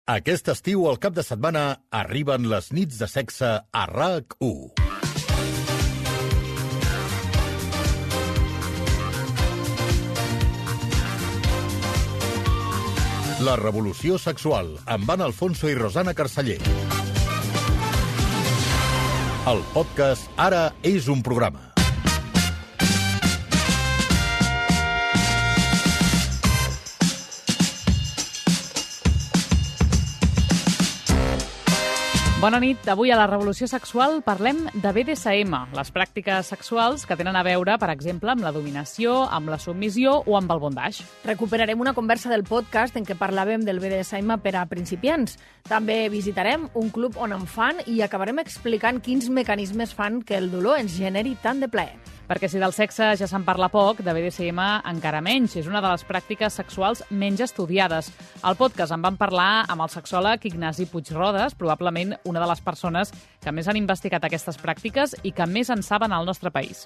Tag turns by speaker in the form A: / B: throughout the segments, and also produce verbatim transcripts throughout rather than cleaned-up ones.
A: Aquest estiu, al cap de setmana, arriben les nits de sexe a R A C u. La revolució sexual, amb Anna Alfonso i Rosana Carceller. El podcast Ara és un programa.
B: Bona nit. Avui a la Revolució Sexual parlem de B D S M, les pràctiques sexuals que tenen a veure, per exemple, amb la dominació, amb la submissió o amb el bondage.
C: Recuperarem una conversa del podcast en què parlàvem del B D S M per a principiants. També visitarem un club on en fan i acabarem explicant quins mecanismes fan que el dolor ens generi tant de plaer.
B: Perquè si del sexe ja se'n parla poc, de B D S M encara menys. És una de les pràctiques sexuals menys estudiades. Al podcast en vam parlar amb el sexòleg Ignasi Puigrodes, probablement una de les persones que més han investigat aquestes pràctiques i que més en saben al nostre país.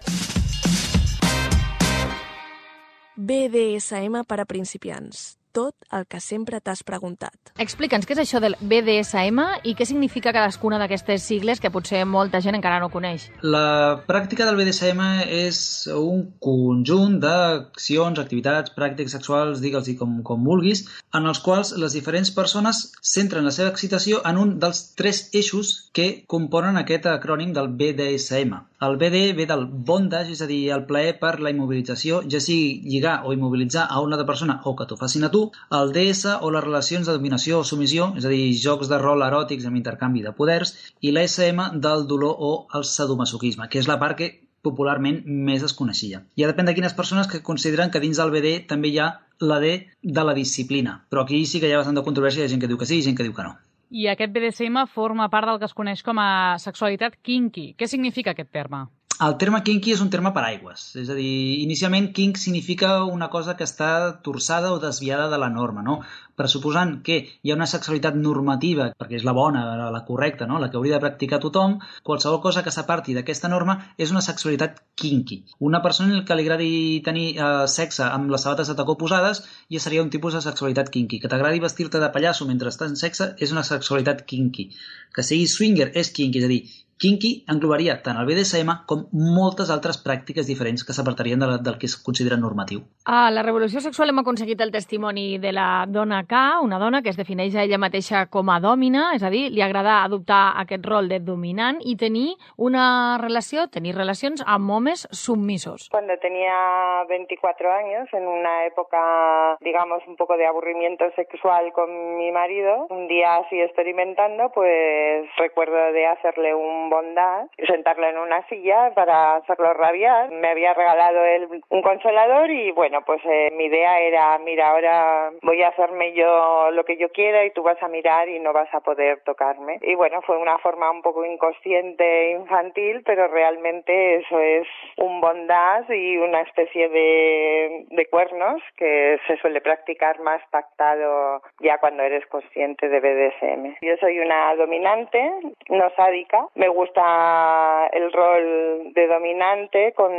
D: B D S M per a principiants. Tot el que sempre t'has preguntat.
C: Explica'ns què és això del B D S M i què significa cadascuna d'aquestes sigles que potser molta gent encara no coneix.
E: La pràctica del B D S M és un conjunt d'accions, activitats, pràctiques sexuals, digue'ls-hi com, com vulguis, en els quals les diferents persones centren la seva excitació en un dels tres eixos que componen aquest acrònim del B D S M. El B D ve del bondage, és a dir, el plaer per la immobilització, ja sigui lligar o immobilitzar a una altra persona o que t'ho facin a tu. El D S o les relacions de dominació o submissió, és a dir, jocs de rol eròtics amb intercanvi de poders, i l'A S M del dolor o el sadomasoquisme, que és la part que popularment més es coneixia. Ja depèn de quines persones que consideren que dins del B D també hi ha la D de la disciplina, però aquí sí que hi ha bastant de controvèrsia, hi ha gent que diu que sí i gent que diu que no.
B: I aquest B D S M forma part del que es coneix com a sexualitat kinky. Què significa aquest terme?
E: El terme kinky és un terme paraigües, és a dir, inicialment kink significa una cosa que està torçada o desviada de la norma, no? Pressuposant que hi ha una sexualitat normativa, perquè és la bona, la correcta, no? La que hauria de practicar tothom, qualsevol cosa que s'aparti d'aquesta norma és una sexualitat kinky. Una persona que li agradi tenir eh, sexe amb les sabates de tacó posades ja seria un tipus de sexualitat kinky. Que t'agradi vestir-te de pallasso mentre estàs en sexe és una sexualitat kinky. Que sigui swinger és kinky, és a dir, kinky englobaria tant el B D S M com moltes altres pràctiques diferents que s'apartarien de la, del que es considera normatiu.
C: A la Revolució Sexual hem aconseguit el testimoni de la dona K, una dona que es defineix a ella mateixa com a dòmina, és a dir, li agrada adoptar aquest rol de dominant i tenir una relació, tenir relacions amb homes submisos.
F: Cuando tenía veinticuatro años, en una época, digamos, un poco de aburrimiento sexual con mi marido, un día así experimentando, pues recuerdo de hacerle un bondad, sentarlo en una silla para hacerlo rabiar. Me había regalado él un consolador y bueno, pues eh, mi idea era, mira, ahora voy a hacerme yo lo que yo quiera y tú vas a mirar y no vas a poder tocarme. Y bueno, fue una forma un poco inconsciente, infantil, pero realmente eso es un bondad y una especie de, de cuernos que se suele practicar más pactado ya cuando eres consciente de B D S M. Yo soy una dominante, no sádica. Me gusta el rol de dominante con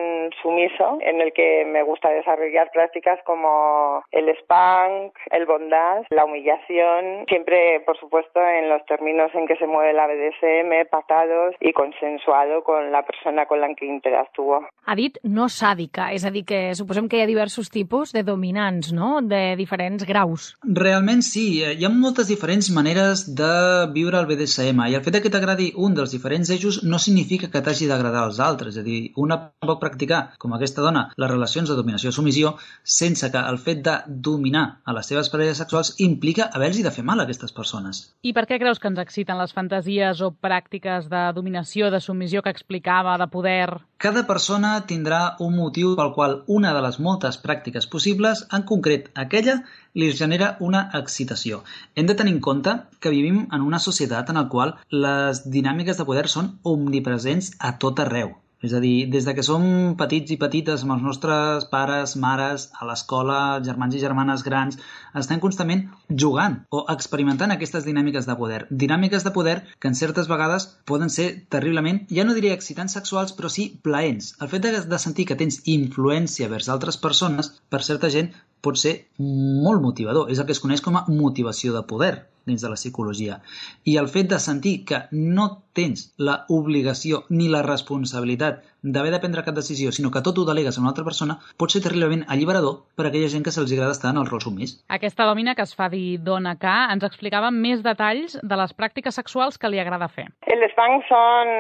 F: sumiso, en el que me gusta desarrollar prácticas como el spank, el bondage, la humillación, siempre, por supuesto, en los términos en que se mueve la B D S M, pactados y consensuado con la persona con la que interactúo.
C: Ha dit no sàdica, és a dir, que suposem que hi ha diversos tipus de dominants, no?, de diferents graus.
E: Realment sí, hi ha moltes diferents maneres de viure el B D S M i el fet que t'agradi un dels diferents eixos no significa que t'hagi d'agradar als altres, és a dir, una pot practicar, com aquesta dona, les relacions de dominació-submissió sense que el fet de dominar a les seves parelles sexuals implica haver-los de fer mal a aquestes persones.
B: I per què creus que ens exciten les fantasies o pràctiques de dominació, de submissió que explicava, de poder?
E: Cada persona tindrà un motiu pel qual una de les moltes pràctiques possibles, en concret aquella, li genera una excitació. Hem de tenir en compte que vivim en una societat en la qual les dinàmiques de poder són omnipresents a tot arreu. És a dir, des de que som petits i petites amb els nostres pares, mares, a l'escola, germans i germanes grans, estem constantment jugant o experimentant aquestes dinàmiques de poder. Dinàmiques de poder que en certes vegades poden ser terriblement, ja no diria excitants sexuals, però sí plaents. El fet de, de sentir que tens influència vers altres persones, per certa gent, pot ser molt motivador. És el que es coneix com a motivació de poder dins de la psicologia. I el fet de sentir que no tens la obligació ni la responsabilitat d'haver de prendre cap decisió, sinó que tot ho delegues a una altra persona, pot ser terriblement alliberador per a aquella gent que se'ls agrada estar en el rol submís.
B: Aquesta dòmina que es fa dir Dona K ens explicava més detalls de les pràctiques sexuals que li agrada fer.
F: El spank son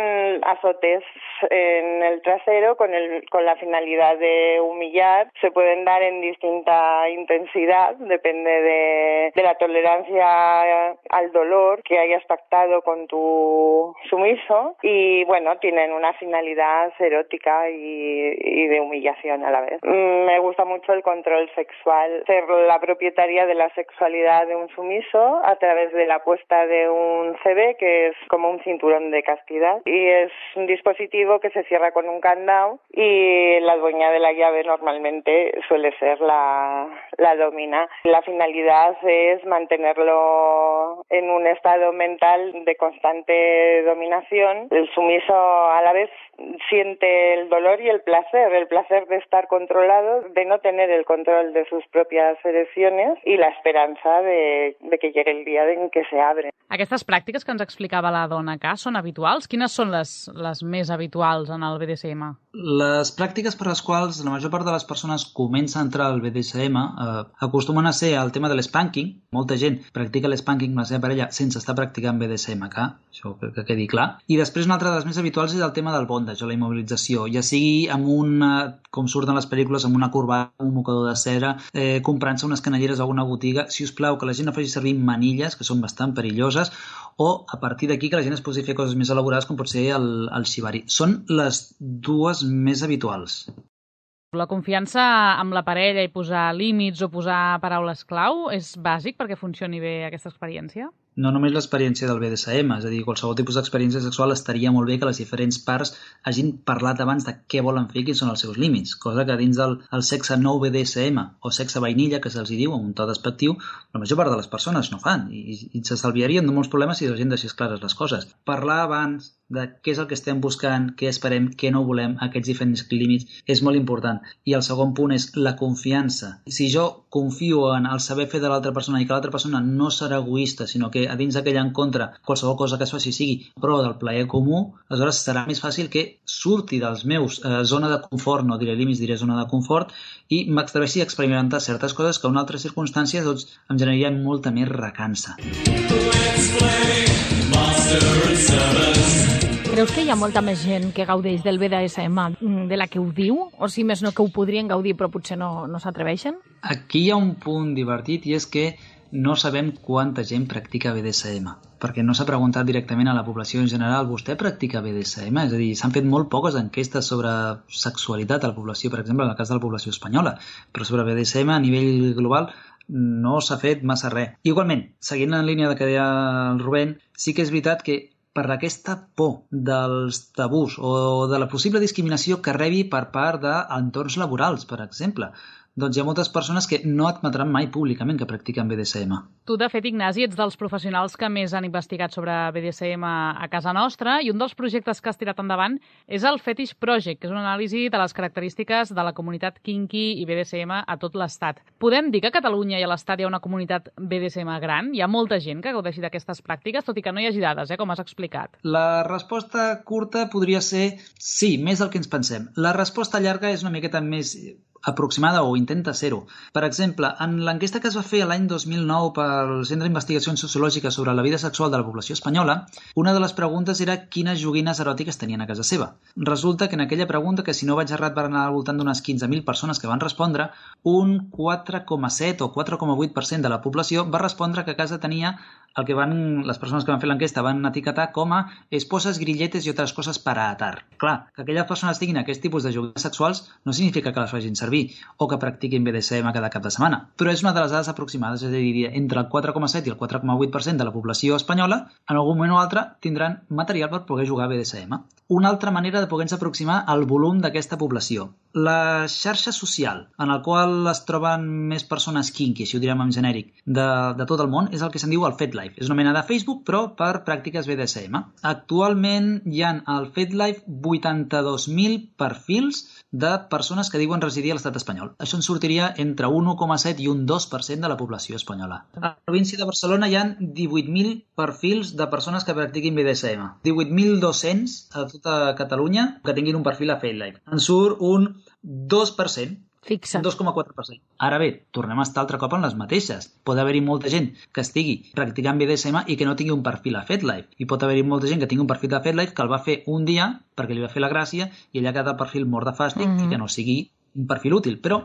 F: azotes en el trasero con, el, con la finalidad de humillar. Se pueden dar en distinta intensidad, depende de, de la tolerancia al dolor que hayas pactado con tu sumiso y bueno, tienen una finalidad erótica y, y de humillación a la vez. Me gusta mucho el control sexual, ser la propietaria de la sexualidad de un sumiso a través de la puesta de un C B, que es como un cinturón de castidad, y es un dispositivo que se cierra con un candado y la dueña de la llave normalmente suele ser la, la domina. La finalidad es mantenerlo en un estado mental de constante dominación. El sumiso a la vez siente el dolor y el placer, el placer de estar controlado, de no tener el control de sus propias erecciones y la esperanza de, de que llegue el día en que se abre.
B: Aquestes pràctiques que ens explicava la Dona K són habituals? Quines són les, les més habituals en el B D S M?
E: Les pràctiques per les quals la major part de les persones comença a entrar al B D S M eh, acostumen a ser el tema de l'espanking. Molta gent practica l'espanking amb la seva parella sense estar practicant B D S M K, això que, que quedi clar. I després una altra de les més habituals és el tema del bondage o la immobilització, ja sigui amb una, com surten les pel·lícules, amb una corbata, un mocador de cera, eh, comprant-se unes canelleres a alguna botiga. Si us plau, que la gent no faci servir manilles, que són bastant perilloses, o a partir d'aquí que la gent es posi a fer coses més elaborades com pot ser el, el shibari. Són les dues més habituals.
B: La confiança amb la parella i posar límits o posar paraules clau és bàsic perquè funcioni bé aquesta experiència?
E: No només l'experiència del B D S M, és a dir, qualsevol tipus d'experiència sexual estaria molt bé que les diferents parts hagin parlat abans de què volen fer i quins són els seus límits, cosa que dins del el sexe nou B D S M o sexe vainilla, que se'ls diu amb un to despectiu, la major part de les persones no fan i, i s'estalviarien de molts problemes si la gent deixés clares les coses. Parlar abans de què és el que estem buscant, què esperem, què no volem, aquests diferents límits, és molt important. I el segon punt és la confiança. Si jo confio en el saber fer de l'altra persona i que l'altra persona no serà egoista, sinó que a dins d'aquell encontre qualsevol cosa que es faci sigui pro del plaer comú, aleshores serà més fàcil que surti dels meus eh, zona de confort, no diré límits, diré zona de confort, i m'atreveixi a experimentar certes coses que en altres circumstàncies doncs, em generarien molta més recança.
C: Creus que hi ha molta més gent que gaudeix del B D S M de la que ho diu? O si més no, que ho podrien gaudir però potser no, no s'atreveixen?
E: Aquí hi ha un punt divertit i és que no sabem quanta gent practica B D S M, perquè no s'ha preguntat directament a la població en general, vostè practica B D S M? És a dir, s'han fet molt poques enquestes sobre sexualitat a la població, per exemple, en el cas de la població espanyola, però sobre B D S M a nivell global no s'ha fet massa res. Igualment, seguint en línia de que deia el Rubén, sí que és veritat que per aquesta por dels tabús o de la possible discriminació que rebi per part d'entorns laborals, per exemple, doncs hi ha moltes persones que no admetran mai públicament que practiquen B D S M.
B: Tu, de fet, Ignasi, ets dels professionals que més han investigat sobre B D S M a casa nostra i un dels projectes que has tirat endavant és el Fetish Project, que és una anàlisi de les característiques de la comunitat kinky i B D S M a tot l'Estat. Podem dir que a Catalunya i a l'Estat hi ha una comunitat B D S M gran? Hi ha molta gent que gaudeixi d'aquestes pràctiques, tot i que no hi hagi dades, eh, com has explicat.
E: La resposta curta podria ser sí, més del que ens pensem. La resposta llarga és una miqueta més aproximada o intenta ser-ho. Per exemple, en l'enquesta que es va fer l'any dos mil nou pel Centre d'Investigacions Sociològiques sobre la vida sexual de la població espanyola, una de les preguntes era quines joguines eròtiques tenien a casa seva. Resulta que en aquella pregunta, que si no vaig errat van anar al voltant d'unes quinze mil persones que van respondre, un quatre coma set o quatre coma vuit per cent de la població va respondre que a casa tenia el que van, les persones que van fer l'enquesta van etiquetar com a esposas, grilletes i altres coses para atar. Clar, que aquelles persones tinguin aquest tipus de joguines sexuals no significa que les facin servir o que practiquin B D S M cada cap de setmana, però és una de les dades aproximades, és a dir, entre el quatre coma set i el quatre coma vuit per cent de la població espanyola en algun moment o altre tindran material per poder jugar a B D S M. Una altra manera de poder-nos aproximar al volum d'aquesta població. La xarxa social en el qual es troben més persones kinky, si ho direm en genèric, de, de tot el món, és el que se'n diu el FetLife. És una mena de Facebook, però per pràctiques B D S M. Actualment hi ha al FetLife vuitanta-dos mil perfils de persones que diuen residir a l'estat espanyol. Això en sortiria entre un un coma set i un dos per cent de la població espanyola. A la província de Barcelona hi ha divuit mil perfils de persones que practiquin B D S M. divuit mil dos-cents a tota Catalunya que tinguin un perfil a FetLife. En surt un dos per cent.
C: Fixa.
E: dos coma quatre per cent. Ara bé, tornem a estar altre cop en les mateixes. Pot haver-hi molta gent que estigui practicant B D S M i que no tingui un perfil a FetLife. I pot haver-hi molta gent que tingui un perfil a FetLife que el va fer un dia perquè li va fer la gràcia i allà queda el perfil mort de fàstic mm-hmm. i que no sigui un perfil útil. Però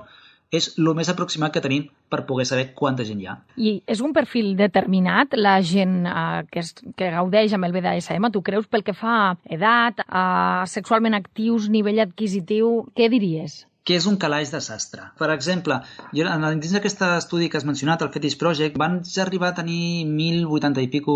E: és el més aproximat que tenim per poder saber quanta gent hi ha.
C: I és un perfil determinat, la gent eh, que, es, que gaudeix amb el B D S M, tu creus, pel que fa a edat, a sexualment actius, nivell adquisitiu, què diries?
E: Que és un calaix de sastre. Per exemple, jo, dins d'aquest estudi que has mencionat, el Fetish Project, van arribar a tenir mil vuitanta i pico,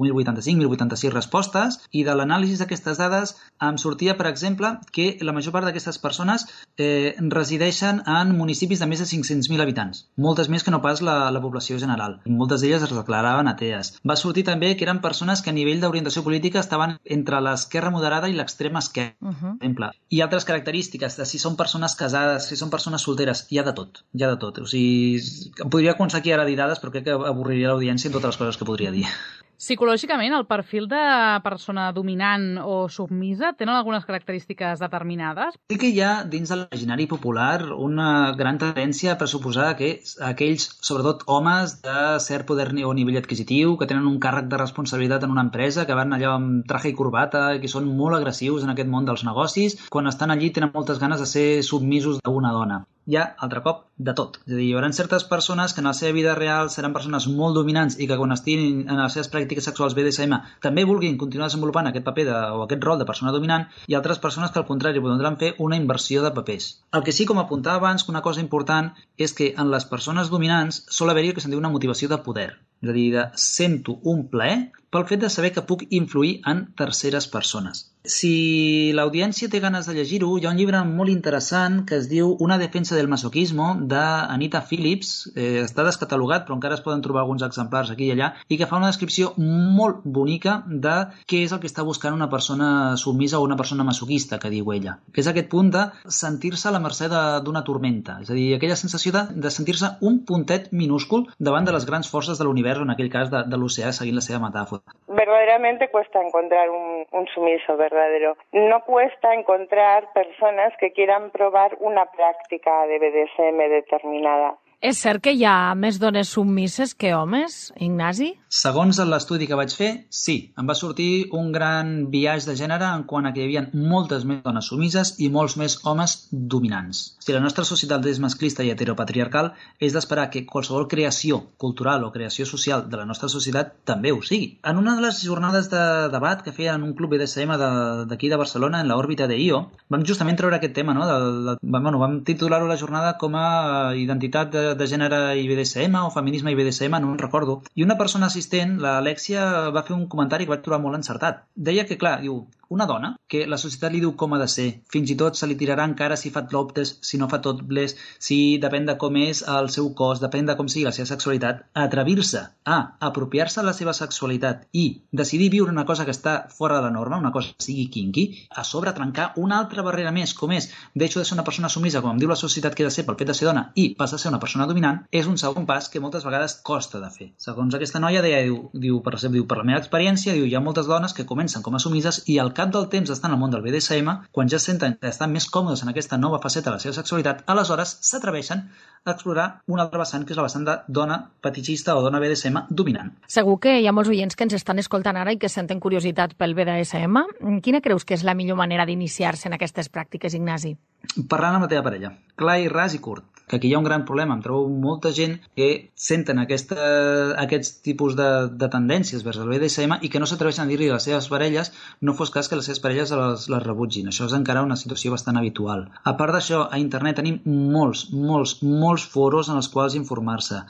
E: mil vuitanta-cinc, mil vuitanta-sis respostes, i de l'anàlisi d'aquestes dades em sortia, per exemple, que la major part d'aquestes persones eh, resideixen en municipis de més de cinc-cents mil habitants, moltes més que no pas la, la població general. Moltes d'elles es declaraven atees. Va sortir també que eren persones que a nivell d'orientació política estaven entre l'esquerra moderada i l'extrema esquerra, uh -huh. per exemple. I altres característiques, de si són persones casades, si són persones solteres, hi ha de tot, hi ha de tot. O sigui, em podria començar aquí ara a dir dades, però crec que avorriria l'audiència en totes les coses que podria dir.
B: Psicològicament, el perfil de persona dominant o submisa tenen algunes característiques determinades?
E: Sí que hi ha dins de l'imaginari popular una gran tendència a pressuposar que aquells, sobretot homes de cert poder o nivell adquisitiu, que tenen un càrrec de responsabilitat en una empresa, que van allò amb traje i corbata i que són molt agressius en aquest món dels negocis, quan estan allí tenen moltes ganes de ser submisos d'una dona. Hi ha, altre cop, de tot. És a dir, hi haurà certes persones que en la seva vida real seran persones molt dominants i que quan estiguin en les seves pràctiques sexuals B D S M també vulguin continuar desenvolupant aquest paper de, o aquest rol de persona dominant, i altres persones que al contrari podran fer una inversió de papers. El que sí, com apuntava abans, que una cosa important és que en les persones dominants sol haver-hi el que se'n diu una motivació de poder. És a dir, de sento un plaer pel fet de saber que puc influir en terceres persones. Si l'audiència té ganes de llegir-ho, hi ha un llibre molt interessant que es diu Una defensa del masoquismo, d'Anita Phillips. Eh, està descatalogat, però encara es poden trobar alguns exemplars aquí i allà, i que fa una descripció molt bonica de què és el que està buscant una persona submisa o una persona masoquista, que diu ella. Que és aquest punt de sentir-se a la mercè d'una tormenta. És a dir, aquella sensació de, de sentir-se un puntet minúscul davant de les grans forces de l'univers, o en aquell cas de, de l'oceà, seguint la seva metàfora.
F: Verdaderamente cuesta encontrar un, un sumiso verdadero. No cuesta encontrar personas que quieran probar una práctica de B D S M determinada.
C: És cert que hi ha més dones submises que homes, Ignasi?
E: Segons l'estudi que vaig fer, sí. Em va sortir un gran biaix de gènere en quant a que hi havia moltes més dones submises i molts més homes dominants. Si la nostra societat és masclista i heteropatriarcal, és d'esperar que qualsevol creació cultural o creació social de la nostra societat també ho sigui. En una de les jornades de debat que feien en un club B D S M d'aquí de, de Barcelona, en l'òrbita de I O, vam justament treure aquest tema, no? De, de, bueno, vam titular-ho la jornada com a identitat de de gènere i B D S M o feminisme i B D S M, no en recordo. I una persona assistent, l'Alexia, va fer un comentari que vaig trobar molt encertat. Deia que, clar, diu, una dona que la societat li diu com ha de ser, fins i tot se li tirarà encara si fa topless, si no fa topless, si depèn de com és el seu cos, depèn de com sigui la seva sexualitat, atrevir-se a apropiar-se de la seva sexualitat i decidir viure una cosa que està fora de la norma, una cosa que sigui kinky, a sobre trencar una altra barrera més, com és deixo de ser una persona submisa, com em diu la societat que he de ser pel fet de ser dona, i passa a ser una persona dominant, és un segon pas que moltes vegades costa de fer. Segons aquesta noia deia, diu, diu, per exemple, diu, per la meva experiència, diu, hi ha moltes dones que comencen com a submises i al cap del temps d'estar en el món del B D S M, quan ja senten que estan més còmodes en aquesta nova faceta de la seva sexualitat, aleshores s'atreveixen a explorar un altre vessant, que és la vessant de dona fetichista o dona B D S M dominant.
C: Segur que hi ha molts oients que ens estan escoltant ara i que senten curiositat pel B D S M. Quina creus que és la millor manera d'iniciar-se en aquestes pràctiques, Ignasi?
E: Parlant amb la teva parella. Clar i ras i curt. Que aquí hi ha un gran problema. Em trobo molta gent que senten aquesta, aquests tipus de, de tendències vers el B D S M i que no s'atreveixen a dir-li a les seves parelles, no fos cas que les seves parelles les, les rebutgin. Això és encara una situació bastant habitual. A part d'això, a internet tenim molts, molts, molts foros en els quals informar-se.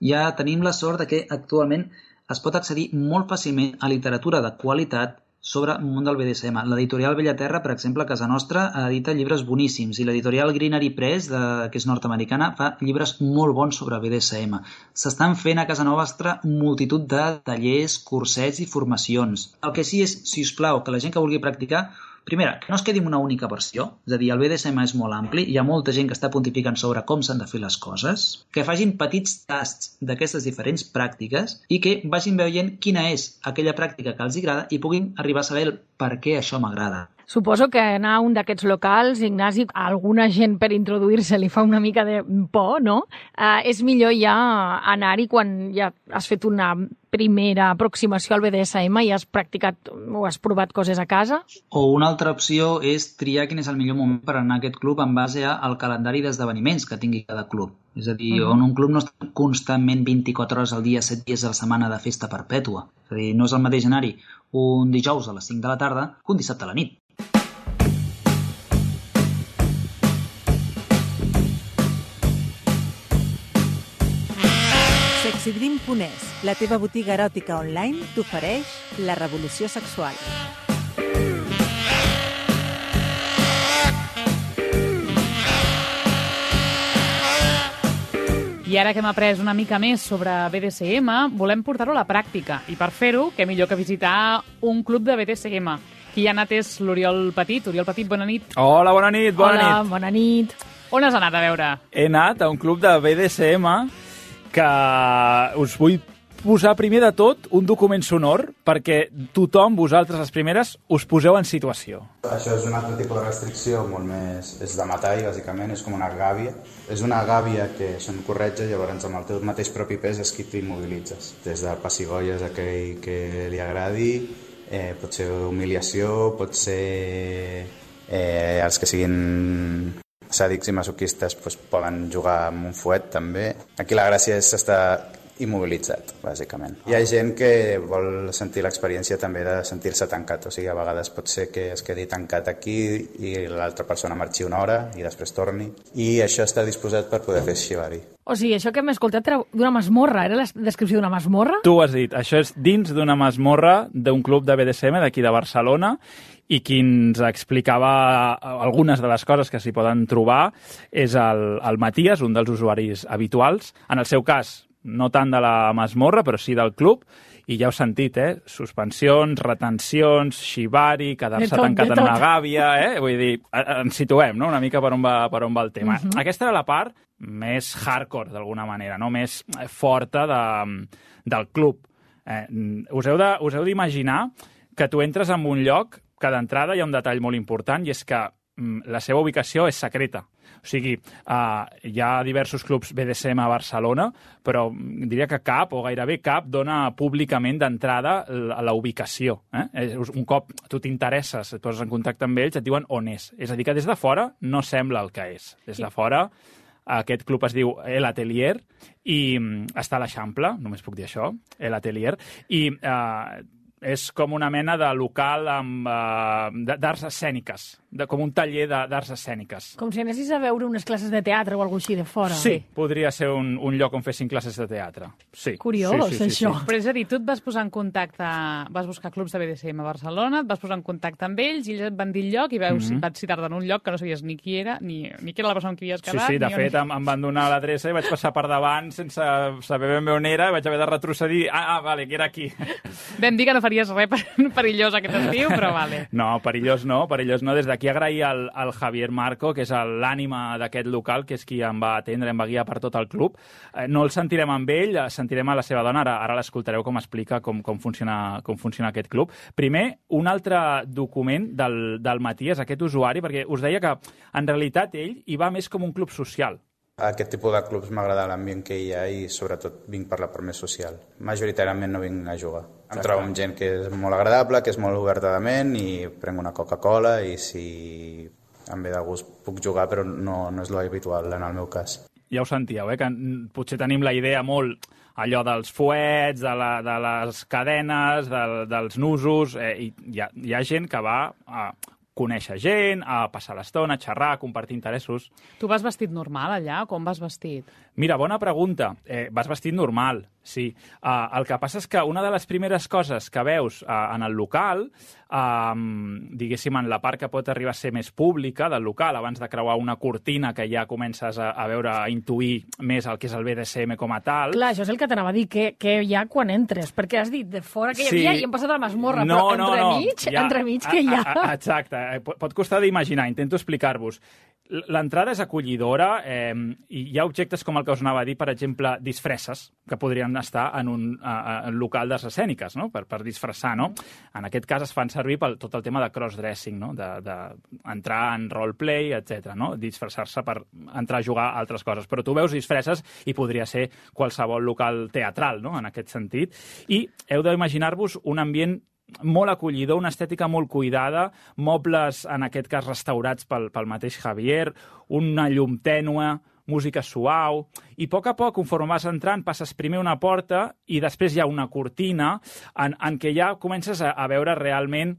E: Ja tenim la sort de que actualment es pot accedir molt fàcilment a literatura de qualitat sobre el món del B D S M. L'editorial Bellaterra, per exemple, a casa nostra, edita llibres boníssims, i l'editorial Greenery Press, de, que és nord-americana, fa llibres molt bons sobre B D S M. S'estan fent a casa nostra multitud de tallers, cursets i formacions. El que sí és, si us plau, que la gent que vulgui practicar, primera, que no es quedi amb una única versió, és a dir, el B D S M és molt ampli, hi ha molta gent que està pontificant sobre com s'han de fer les coses, que facin petits tasts d'aquestes diferents pràctiques i que vagin veient quina és aquella pràctica que els agrada i puguin arribar a saber el per què això m'agrada.
C: Suposo que anar a un d'aquests locals, Ignasi, a alguna gent per introduir-se li fa una mica de por, no? Eh, és millor ja anar-hi quan ja has fet una primera aproximació al B D S M i has practicat o has provat coses a casa?
E: O una altra opció és triar quin és el millor moment per anar a aquest club en base al calendari d'esdeveniments que tingui cada club. És a dir, uh-huh. on un club no està constantment vint-i-quatre hores al dia, set dies a la setmana de festa perpètua. És a dir, no és el mateix anar-hi un dijous a les cinc de la tarda que un dissabte a la nit.
G: Sexydream punt es, la teva botiga eròtica online, t'ofereix la revolució sexual.
B: I ara que hem après una mica més sobre B D S M, volem portar-ho a la pràctica. I per fer-ho, què millor que visitar un club de B D S M. Qui hi ha anat és l'Oriol Petit. Oriol Petit, bona nit.
H: Hola, bona nit, bona
C: Hola,
H: nit.
C: bona nit.
B: On has anat a veure?
H: He anat a un club de B D S M que us vull posar primer de tot un document sonor perquè tothom, vosaltres les primeres, us poseu en situació.
I: Això és un altre tipus de restricció, molt més... és de metall, bàsicament, és com una gàbia. És una gàbia que se'n corretja, llavors amb el teu mateix propi pes és qui t'immobilitzes. Des del pessigolles a aquell que li agradi, eh, pot ser humiliació, pot ser eh, els que siguin sàdics i masoquistes doncs, poden jugar amb un fuet també. Aquí la gràcia és estar immobilitzat, bàsicament. Hi ha gent que vol sentir l'experiència també de sentir-se tancat, o sigui, a vegades pot ser que es quedi tancat aquí i l'altra persona marxi una hora i després torni, i això està disposat per poder fer xivari.
C: O sigui, això que hem escoltat era d'una masmorra, era la descripció d'una masmorra?
H: Tu ho has dit, això és dins d'una masmorra d'un club de B D S M d'aquí de Barcelona, i qui ens explicava algunes de les coses que s'hi poden trobar és el, el Matías, un dels usuaris habituals. En el seu cas, no tant de la masmorra, però sí del club, i ja heu sentit, eh? Suspensions, retencions, xivari, quedar-se tancat en una gàbia, eh? Vull dir, ens situem, no?, una mica per on va, per on va el tema. Uh-huh. Aquesta era la part més hardcore, d'alguna manera, no?, més forta de, del club. Eh, us heu de, us heu d'imaginar que tu entres en un lloc que d'entrada hi ha un detall molt important, i és que mm, la seva ubicació és secreta. O sigui, uh, hi ha diversos clubs B D S M a Barcelona, però diria que cap, o gairebé cap, dona públicament d'entrada la, la ubicació. Eh? Un cop tu t'interesses, et poses en contacte amb ells, et diuen on és. És a dir, que des de fora no sembla el que és. Des de fora, aquest club es diu El Atelier i mm, està a l'Eixample, només puc dir això, El Atelier, i uh, és com una mena de local amb uh, d'arts escèniques, de, com un taller d'arts escèniques.
C: Com si anessis a veure unes classes de teatre o alguna cosa així de fora.
H: Sí, podria ser un, un lloc on fessin classes de teatre. Sí.
C: Curiós,
H: sí, sí, sí,
C: això.
H: Sí.
B: Però és a dir, tu et vas posar en contacte, vas buscar clubs de B D S M a Barcelona, et vas posar en contacte amb ells i ells et van dir el lloc i veus, mm-hmm. vaig citar-te en un lloc que no sabies ni qui era, ni, ni qui era la persona amb qui havies quedat.
H: Sí, sí, de fet, on... em, em van donar l'adreça i vaig passar per davant sense saber ben bé on era, vaig haver de retrocedir. Ah, ah, vale, que era aquí.
B: Vam dir que no faries res per, perillós aquest estiu, però vale.
H: No, perillós no, perillós no. Des d'aquí agrair al, al Javier Marco, que és l'ànima d'aquest local, que és qui em va atendre, em va guiar per tot el club. Eh, no el sentirem amb ell, sentirem a la seva dona, ara, ara l'escoltareu com explica com, com, funciona, com funciona aquest club. Primer, un altre document del, del Matías, aquest usuari, perquè us deia que en realitat ell hi va més com un club social.
I: Aquest tipus de clubs m'agrada l'ambient que hi ha i sobretot vinc per la part més social. Majoritàriament no vinc a jugar. Em trobo amb gent que és molt agradable, que és molt oberta de ment i prenc una Coca-Cola i si em ve de gust puc jugar, però no, no és l'habitual en el meu cas.
H: Ja ho sentíeu, eh? Que potser tenim la idea molt allò dels fuets, de, la, de les cadenes, de, dels nusos, eh? I hi ha, hi ha gent que va a conèixer gent, a passar l'estona, a xerrar, a compartir interessos.
B: Tu vas vestit normal allà? Com vas vestit?
H: Mira, bona pregunta. Eh, vas vestit normal, sí. Uh, el que passa és que una de les primeres coses que veus uh, en el local, uh, diguéssim, en la part que pot arribar a ser més pública del local, abans de creuar una cortina que ja comences a, a veure, a intuir més el que és el B D S M com a tal...
C: Clar, això és el que t'anava a dir, que, que hi ha quan entres, perquè has dit de fora que hi havia sí. i hem passat a la masmorra,
H: no,
C: però
H: no,
C: entremig,
H: no. Ja,
C: entremig que hi ha...
H: A, a, exacte, pot costar d'imaginar, intento explicar-vos. L'entrada és acollidora eh, i hi ha objectes com el que us anava a dir, per exemple, disfresses, que podrien estar en un uh, local d'arts escèniques, no? per, per disfressar. No? En aquest cas es fan servir per tot el tema de cross-dressing, no? d'entrar de, de en roleplay, etcètera. No? Disfressar-se per entrar a jugar a altres coses. Però tu veus disfresses i podria ser qualsevol local teatral, no? En aquest sentit. I heu d'imaginar-vos un ambient molt acollidor, una estètica molt cuidada, mobles, en aquest cas, restaurats pel, pel mateix Javier, una llum tènue, música suau, i a poc a poc, conforme vas entrant, passes primer una porta i després hi ha una cortina en, en què ja comences a, a veure realment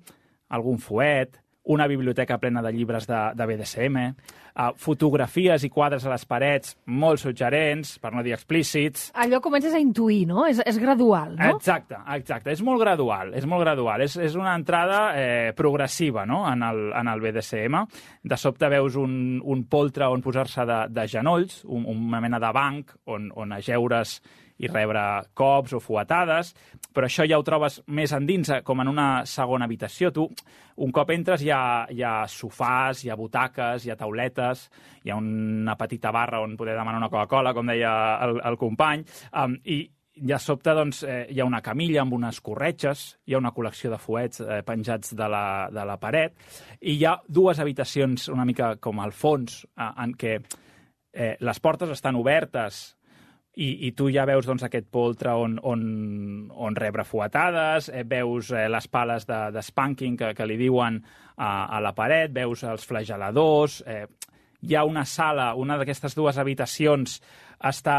H: algun fuet, una biblioteca plena de llibres de, de B D S M, uh, fotografies i quadres a les parets molt suggerents, per no dir explícits.
C: Allò comences a intuir, no? És, és gradual, no?
H: Exacte, exacte. És molt gradual, és molt gradual. És, és una entrada eh, progressiva, no?, en el, en el B D S M. De sobte veus un, un poltre on posar-se de, de genolls, un, una mena de banc on, on ajeure's i rebre cops o fuetades, però això ja ho trobes més endins, com en una segona habitació. Tu, un cop entres, hi ha, hi ha sofàs, hi ha butaques, hi ha tauletes, hi ha una petita barra on poder demanar una Coca-Cola, com deia el, el company, um, i de sobte doncs, eh, hi ha una camilla amb unes corretges, hi ha una col·lecció de fuets eh, penjats de la, de la paret, i hi ha dues habitacions una mica com al fons, eh, en què eh, les portes estan obertes, I, i tu ja veus doncs, aquest poltre on, on, on rebre fuetades, eh, veus eh, les pales de, de spanking que, que li diuen a, a la paret, veus els flageladors, eh, hi ha una sala, una d'aquestes dues habitacions està,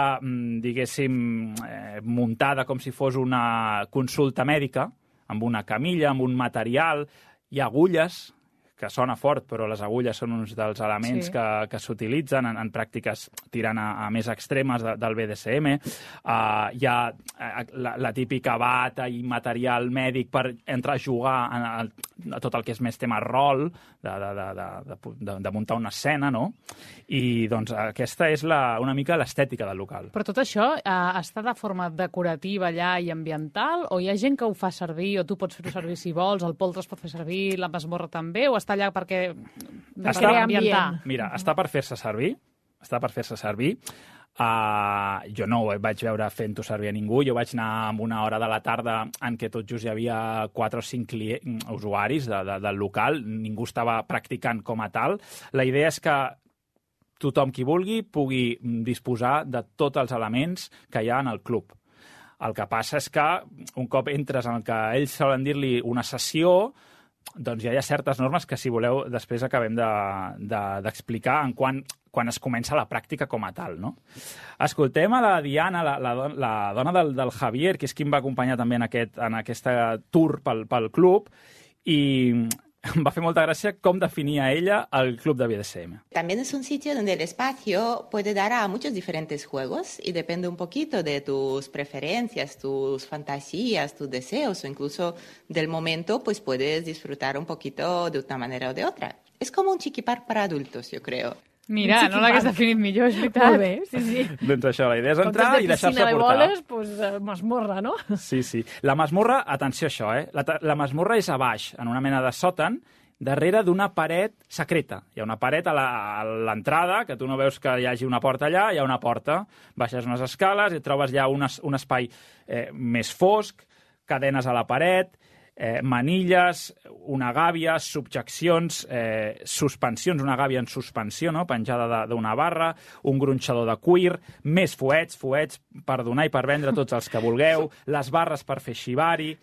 H: diguéssim, eh, muntada com si fos una consulta mèdica, amb una camilla, amb un material, hi ha agulles, que sona fort, però les agulles són uns dels elements sí. que, que s'utilitzen en, en pràctiques tirant a, a més extremes de, del B D S M. Uh, hi ha uh, la, la típica bata i material mèdic per entrar a jugar a, a, a tot el que és més tema rol, de, de, de, de, de, de muntar una escena, no? I doncs aquesta és la, una mica l'estètica del local.
B: Però tot això uh, està de forma decorativa allà i ambiental, o hi ha gent que ho fa servir, o tu pots fer-ho servir si vols, el poltre es pot fer servir, la masmorra també, o està allà perquè, perquè
H: està,
B: ambientar?
H: Mira, està per fer-se servir, està per fer-se servir. Uh, jo no ho vaig veure fent-ho servir a ningú, jo vaig anar amb una hora de la tarda en què tot just hi havia quatre o cinc clients, usuaris de, de, del local, ningú estava practicant com a tal. La idea és que tothom qui vulgui pugui disposar de tots els elements que hi ha en el club. El que passa és que un cop entres en el que ells solen dir-li una sessió, doncs ja hi ha certes normes que, si voleu, després acabem d'explicar de, de, en quan, quan es comença la pràctica com a tal, no? Escoltem a la Diana, la, la, la dona del, del Javier, que és qui em va acompanyar també en aquest en aquesta tour pel, pel club, i em va fer molta gràcia com definia ella el club de B D S M.
J: También es un sitio donde el espacio puede dar a muchos diferentes juegos y depende un poquito de tus preferencias, tus fantasías, tus deseos o incluso del momento, pues puedes disfrutar un poquito de una manera o de otra. Es como un chiquipar para adultos, yo creo.
B: Mira, no l'hagués definit millor, és veritat.
C: Molt bé, sí, sí.
H: Doncs això, la idea és entrar i deixar-se portar.
C: Com que de piscina de boles, doncs masmorra, no?
H: Sí, sí. La masmorra, atenció a això, eh? La, la masmorra és a baix, en una mena de sòtan, darrere d'una paret secreta. Hi ha una paret a l'entrada, que tu no veus que hi hagi una porta allà, hi ha una porta, baixes unes escales i trobes ja un, un espai eh, més fosc, cadenes a la paret, Eh, manilles, una gàbia, subjeccions, eh, suspensions, una gàbia en suspensió, no?, penjada d'una barra, un gronxador de cuir, més fuets, fuets per donar i per vendre tots els que vulgueu, les barres per fer shibari.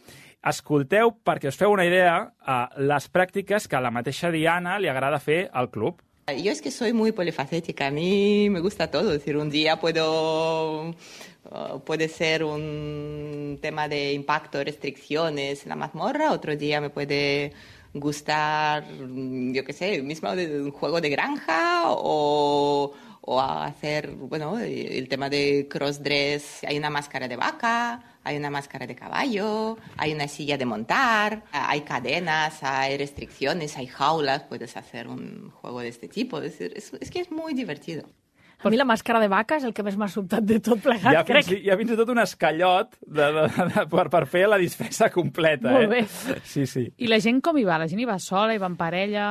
H: Escolteu, perquè us feu una idea, eh, les pràctiques que a la mateixa Diana li agrada fer al club.
J: Yo es que soy muy polifacética, a mí me gusta todo, es decir, un día puedo... Uh, puede ser un tema de impacto, restricciones en la mazmorra, otro día me puede gustar, yo qué sé, mismo de un juego de granja o, o a hacer, bueno, el tema de crossdress. Hay una máscara de vaca, hay una máscara de caballo, hay una silla de montar, hay cadenas, hay restricciones, hay jaulas, puedes hacer un juego de este tipo. Es, es, es que es muy divertido.
C: A mi la màscara de vaca és el que més m'ha sobtat de tot plegat,
H: hi ha
C: crec.
H: Fins, hi ha fins i tot un escallot de, de, de, de, per, per fer la disfressa completa.
C: Molt bé.
H: Eh? Sí, sí.
B: I la gent com hi va? La gent hi va sola, hi va en parella?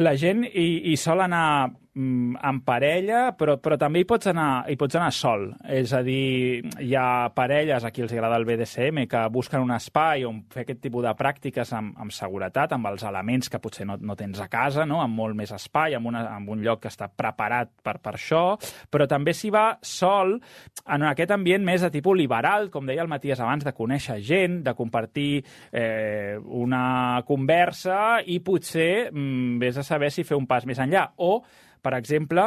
H: La gent hi, hi sol anar mm, en parella, però, però també hi pots, anar, hi pots anar sol. És a dir, hi ha parelles a qui els agrada el B D S M que busquen un espai on fer aquest tipus de pràctiques amb, amb seguretat, amb els elements que potser no, no tens a casa, no? Amb molt més espai, amb, una, amb un lloc que està preparat per, per això, però també s'hi va sol en aquest ambient més de tipus liberal, com deia el Matías abans, de conèixer gent, de compartir eh, una conversa i potser mm, vés a saber si fer un pas més enllà. O, per exemple,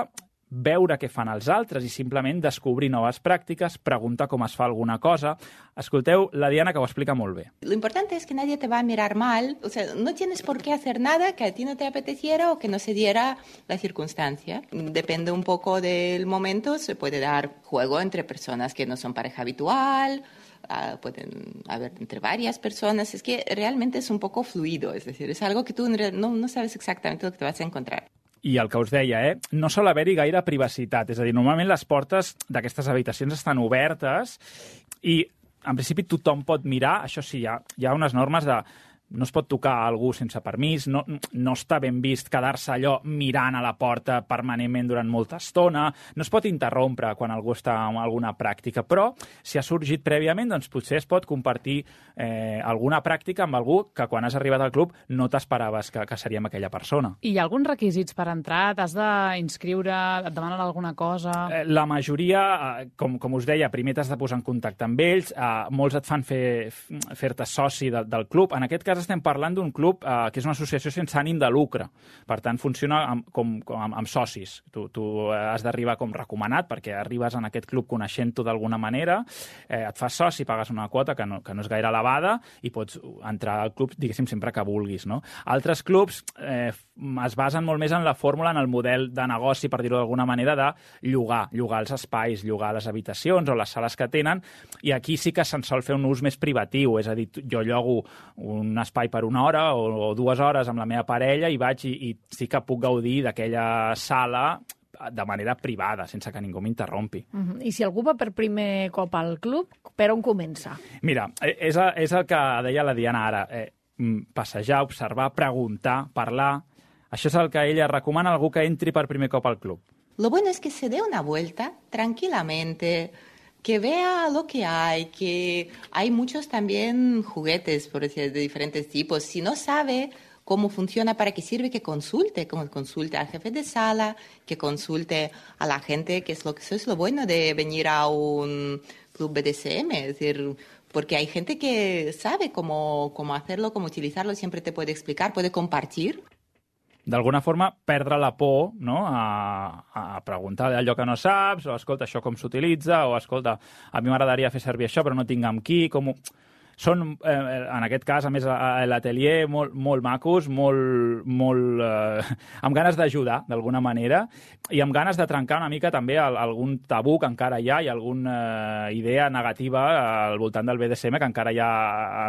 H: veure què fan els altres i simplement descobrir noves pràctiques, preguntar com es fa alguna cosa. Escolteu la Diana, que ho explica molt bé.
J: Lo importante es que nadie te va a mirar mal. O sea, no tienes por qué hacer nada que a ti no te apeteciera o que no se diera la circunstancia. Depende un poco del momento. Se puede dar juego entre personas que no son pareja habitual, Uh, pueden haber entre varias personas. Es que realmente es un poco fluido, es decir, es algo que tú no, no sabes exactamente lo que te vas a encontrar.
H: I el que us deia, eh? no sol haver-hi gaire privacitat. És a dir, normalment les portes d'aquestes habitacions estan obertes i, en principi, tothom pot mirar. Això sí, hi ha, hi ha unes normes de no es pot tocar a algú sense permís, no, no està ben vist quedar-se allò mirant a la porta permanentment durant molta estona, no es pot interrompre quan algú està en alguna pràctica, però si ha sorgit prèviament, doncs potser es pot compartir eh, alguna pràctica amb algú que quan has arribat al club no t'esperaves que, que seria amb aquella persona.
B: I hi ha alguns requisits per entrar? T'has d'inscriure? Et demanen alguna cosa?
H: Eh, la majoria, eh, com, com us deia, primer t'has de posar en contacte amb ells, eh, molts et fan fer, fer-te soci de, del club. En aquest cas estem parlant d'un club eh, que és una associació sense ànim de lucre. Per tant, funciona amb, com, com, amb, amb socis. Tu, tu has d'arribar com recomanat perquè arribes en aquest club coneixent-ho d'alguna manera, eh, et fas soci, pagues una quota que no, que no és gaire elevada i pots entrar al club, diguéssim, sempre que vulguis. No? Altres clubs eh, es basen molt més en la fórmula, en el model de negoci, per dir-ho d'alguna manera, de llogar, llogar els espais, llogar les habitacions o les sales que tenen, i aquí sí que se'n sol fer un ús més privatiu, és a dir, jo llogo un espai per una hora o, o dues hores amb la meva parella i vaig i, i sí que puc gaudir d'aquella sala de manera privada, sense que ningú m'interrompi.
C: Uh-huh. I si algú va per primer cop al club, per on comença?
H: Mira, és, és el que deia la Diana ara. Eh, passejar, observar, preguntar, parlar. Això és el que ella recomana a algú que entri per primer cop al club.
J: Lo bueno es que se dé una vuelta tranquilamente, que vea lo que hay, que hay muchos también juguetes, por decir, de diferentes tipos. Si no sabe cómo funciona, para qué sirve, que consulte, como consulte al jefe de sala, que consulte a la gente, que es lo que eso es lo bueno de venir a un club B D S M, es decir, porque hay gente que sabe cómo, cómo hacerlo, cómo utilizarlo, siempre te puede explicar, puede compartir.
H: D'alguna forma, perdre la por, no? a, a preguntar allò que no saps, o escolta, això com s'utilitza, o escolta, a mi m'agradaria fer servir això, però no tinc amb qui, com ho... Són, eh, en aquest cas, a més, a l'atelier molt, molt macos, molt, molt eh, amb ganes d'ajudar, d'alguna manera, i amb ganes de trencar una mica també el, algun tabú que encara hi ha i alguna eh, idea negativa al voltant del B D S M que encara hi ha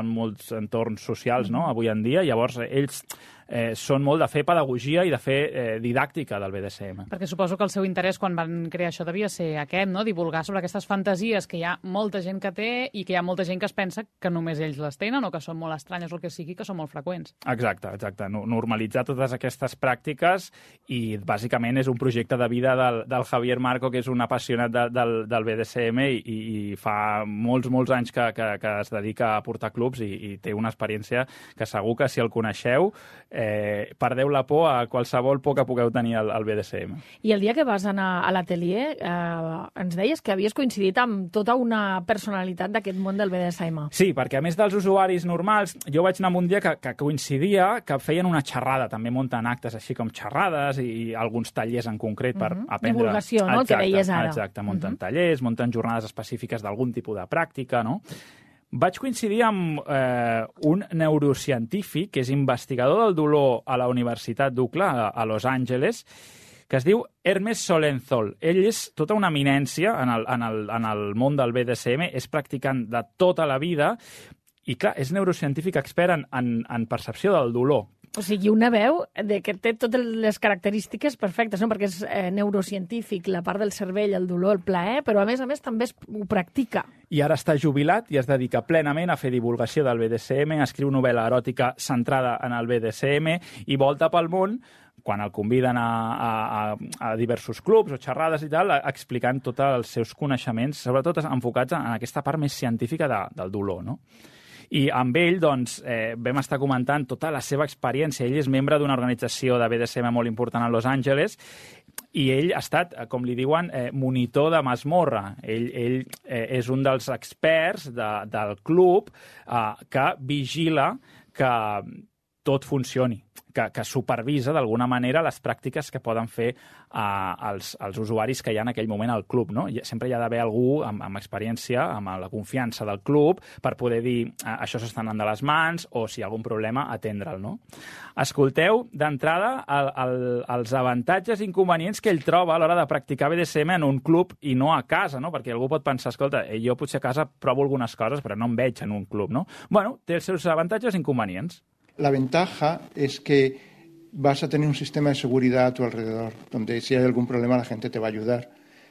H: en molts entorns socials, no?, avui en dia. Llavors, ells eh, són molt de fer pedagogia i de fer eh, didàctica del B D S M.
B: Perquè suposo que el seu interès quan van crear això devia ser aquest, no?, divulgar sobre aquestes fantasies que hi ha molta gent que té i que hi ha molta gent que es pensa que només ells les tenen o que són molt estranyes o el que sigui, que són molt freqüents.
H: Exacte, exacte. Normalitzar totes aquestes pràctiques i bàsicament és un projecte de vida del, del Javier Marco, que és un apassionat de, del, del B D S M i, i fa molts, molts anys que, que, que es dedica a portar clubs i, i té una experiència que segur que si el coneixeu eh, perdeu la por a qualsevol por que pugueu tenir al, al B D S M.
C: I el dia que vas anar a l'atelier eh, ens deies que havies coincidit amb tota una personalitat d'aquest món del B D S M.
H: Sí, perquè a més dels usuaris normals, jo vaig anar un dia que, que coincidia que feien una xerrada, també munten actes així com xerrades i, i alguns tallers en concret per uh-huh. aprendre...
C: Divulgació, no?,
H: exacte,
C: el que deies ara.
H: Exacte, munten uh-huh. tallers, munten jornades específiques d'algun tipus de pràctica, no? Vaig coincidir amb eh, un neurocientífic que és investigador del dolor a la Universitat d'U C L A, a Los Angeles, que es diu Hermes Solenzol. Ell és tota una eminència en el, en el, en el món del B D S M, és practicant de tota la vida i, clar, és neurocientífic expert en, en, en percepció del dolor.
C: O sigui, una veu de que té totes les característiques perfectes, no? Perquè és eh, neurocientífic, la part del cervell, el dolor, el plaer, però a més a més també es, ho practica.
H: I ara està jubilat i es dedica plenament a fer divulgació del B D S M, escriu novel·la eròtica centrada en el B D S M i volta pel món quan el conviden a, a, a diversos clubs o xerrades i tal, explicant tots els seus coneixements, sobretot enfocats en aquesta part més científica de, del dolor, no? I amb ell, doncs, eh, vam estar comentant tota la seva experiència. Ell és membre d'una organització de B D S M molt important a Los Angeles i ell ha estat, com li diuen, eh, monitor de masmorra. Ell, ell eh, és un dels experts de, del club eh, que vigila que tot funcioni, que, que supervisa d'alguna manera les pràctiques que poden fer uh, els, els usuaris que hi ha en aquell moment al club, no? Sempre hi ha d'haver algú amb, amb experiència, amb la confiança del club, per poder dir uh, això s'està anant de les mans o si hi ha algun problema, atendre'l, no? Escolteu, d'entrada, el, el, els avantatges i inconvenients que ell troba a l'hora de practicar B D S M en un club i no a casa, no? Perquè algú pot pensar, escolta, jo potser a casa provo algunes coses, però no em veig en un club, no? Bueno, té els seus avantatges i inconvenients.
K: La ventaja es que vas a tener un sistema de seguridad a tu alrededor, donde si hay algún problema la gente te va a ayudar.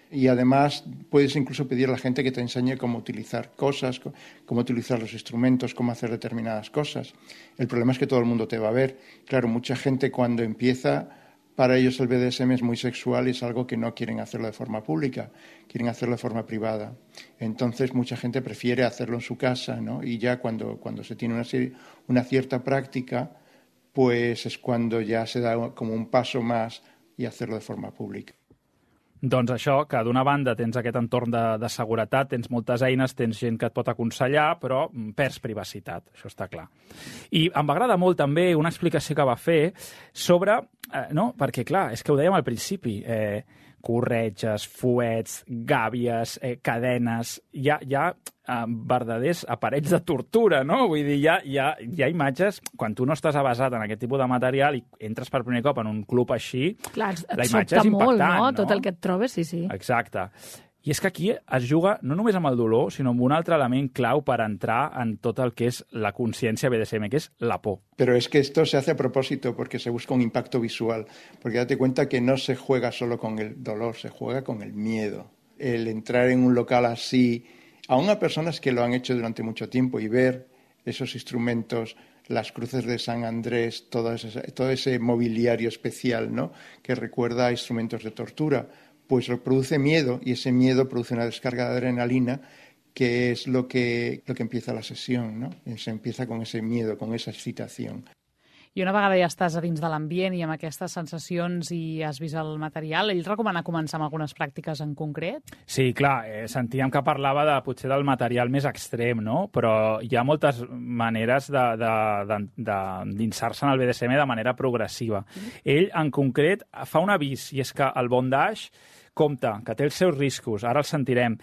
K: Y además puedes incluso pedir a la gente que te enseñe cómo utilizar cosas, cómo utilizar los instrumentos, cómo hacer determinadas cosas. El problema es que todo el mundo te va a ver. Claro, mucha gente cuando empieza, para ellos el B D S M es muy sexual y es algo que no quieren hacerlo de forma pública, quieren hacerlo de forma privada. Entonces mucha gente prefiere hacerlo en su casa, ¿no? Y ya cuando, cuando se tiene una, una cierta práctica, pues es cuando ya se da como un paso más y hacerlo de forma pública.
H: Doncs això, que d'una banda tens aquest entorn de, de seguretat, tens moltes eines, tens gent que et pot aconsellar, però perds privacitat, això està clar. I em va agradar molt també una explicació que va fer sobre, eh, no, perquè clar, és que ho dèiem al principi, eh, corretges, fuets, gàbies, eh, cadenes, hi ha, hi ha eh, verdaders aparells de tortura, no? Vull dir, hi ha, hi, ha, hi ha imatges, quan tu no estàs avasat en aquest tipus de material i entres per primer cop en un club així,
C: clar, et
H: la imatge és
C: molt,
H: impactant,
C: no?
H: no?
C: Tot el que et trobes, sí, sí.
H: Exacte. I és que aquí es juga no només amb el dolor, sinó amb un altre element clau per entrar en tot el que és la consciència B D S M, que és la por.
K: Pero es que esto se hace a propósito porque se busca un impacto visual, porque date cuenta que no se juega solo con el dolor, se juega con el miedo. El entrar en un local así, aún a personas que lo han hecho durante mucho tiempo y ver esos instrumentos, las cruces de San Andrés, todo ese, todo ese mobiliario especial, ¿no? Que recuerda a instrumentos de tortura, pues produce miedo y ese miedo produce una descarga de adrenalina que es lo que, lo que empieza la sesión, ¿no? Se empieza con ese miedo, con esa excitación.
B: I una vegada ja estàs a dins de l'ambient i amb aquestes sensacions i has vist el material, ell recomana començar amb algunes pràctiques en concret?
H: Sí, clar, eh, sentíem que parlava de, potser del material més extrem, no? Però hi ha moltes maneres d'insar-se en el B D S M de manera progressiva. Mm. Ell, en concret, fa un avís, i és que el bondage compta, que té els seus riscos, ara els sentirem.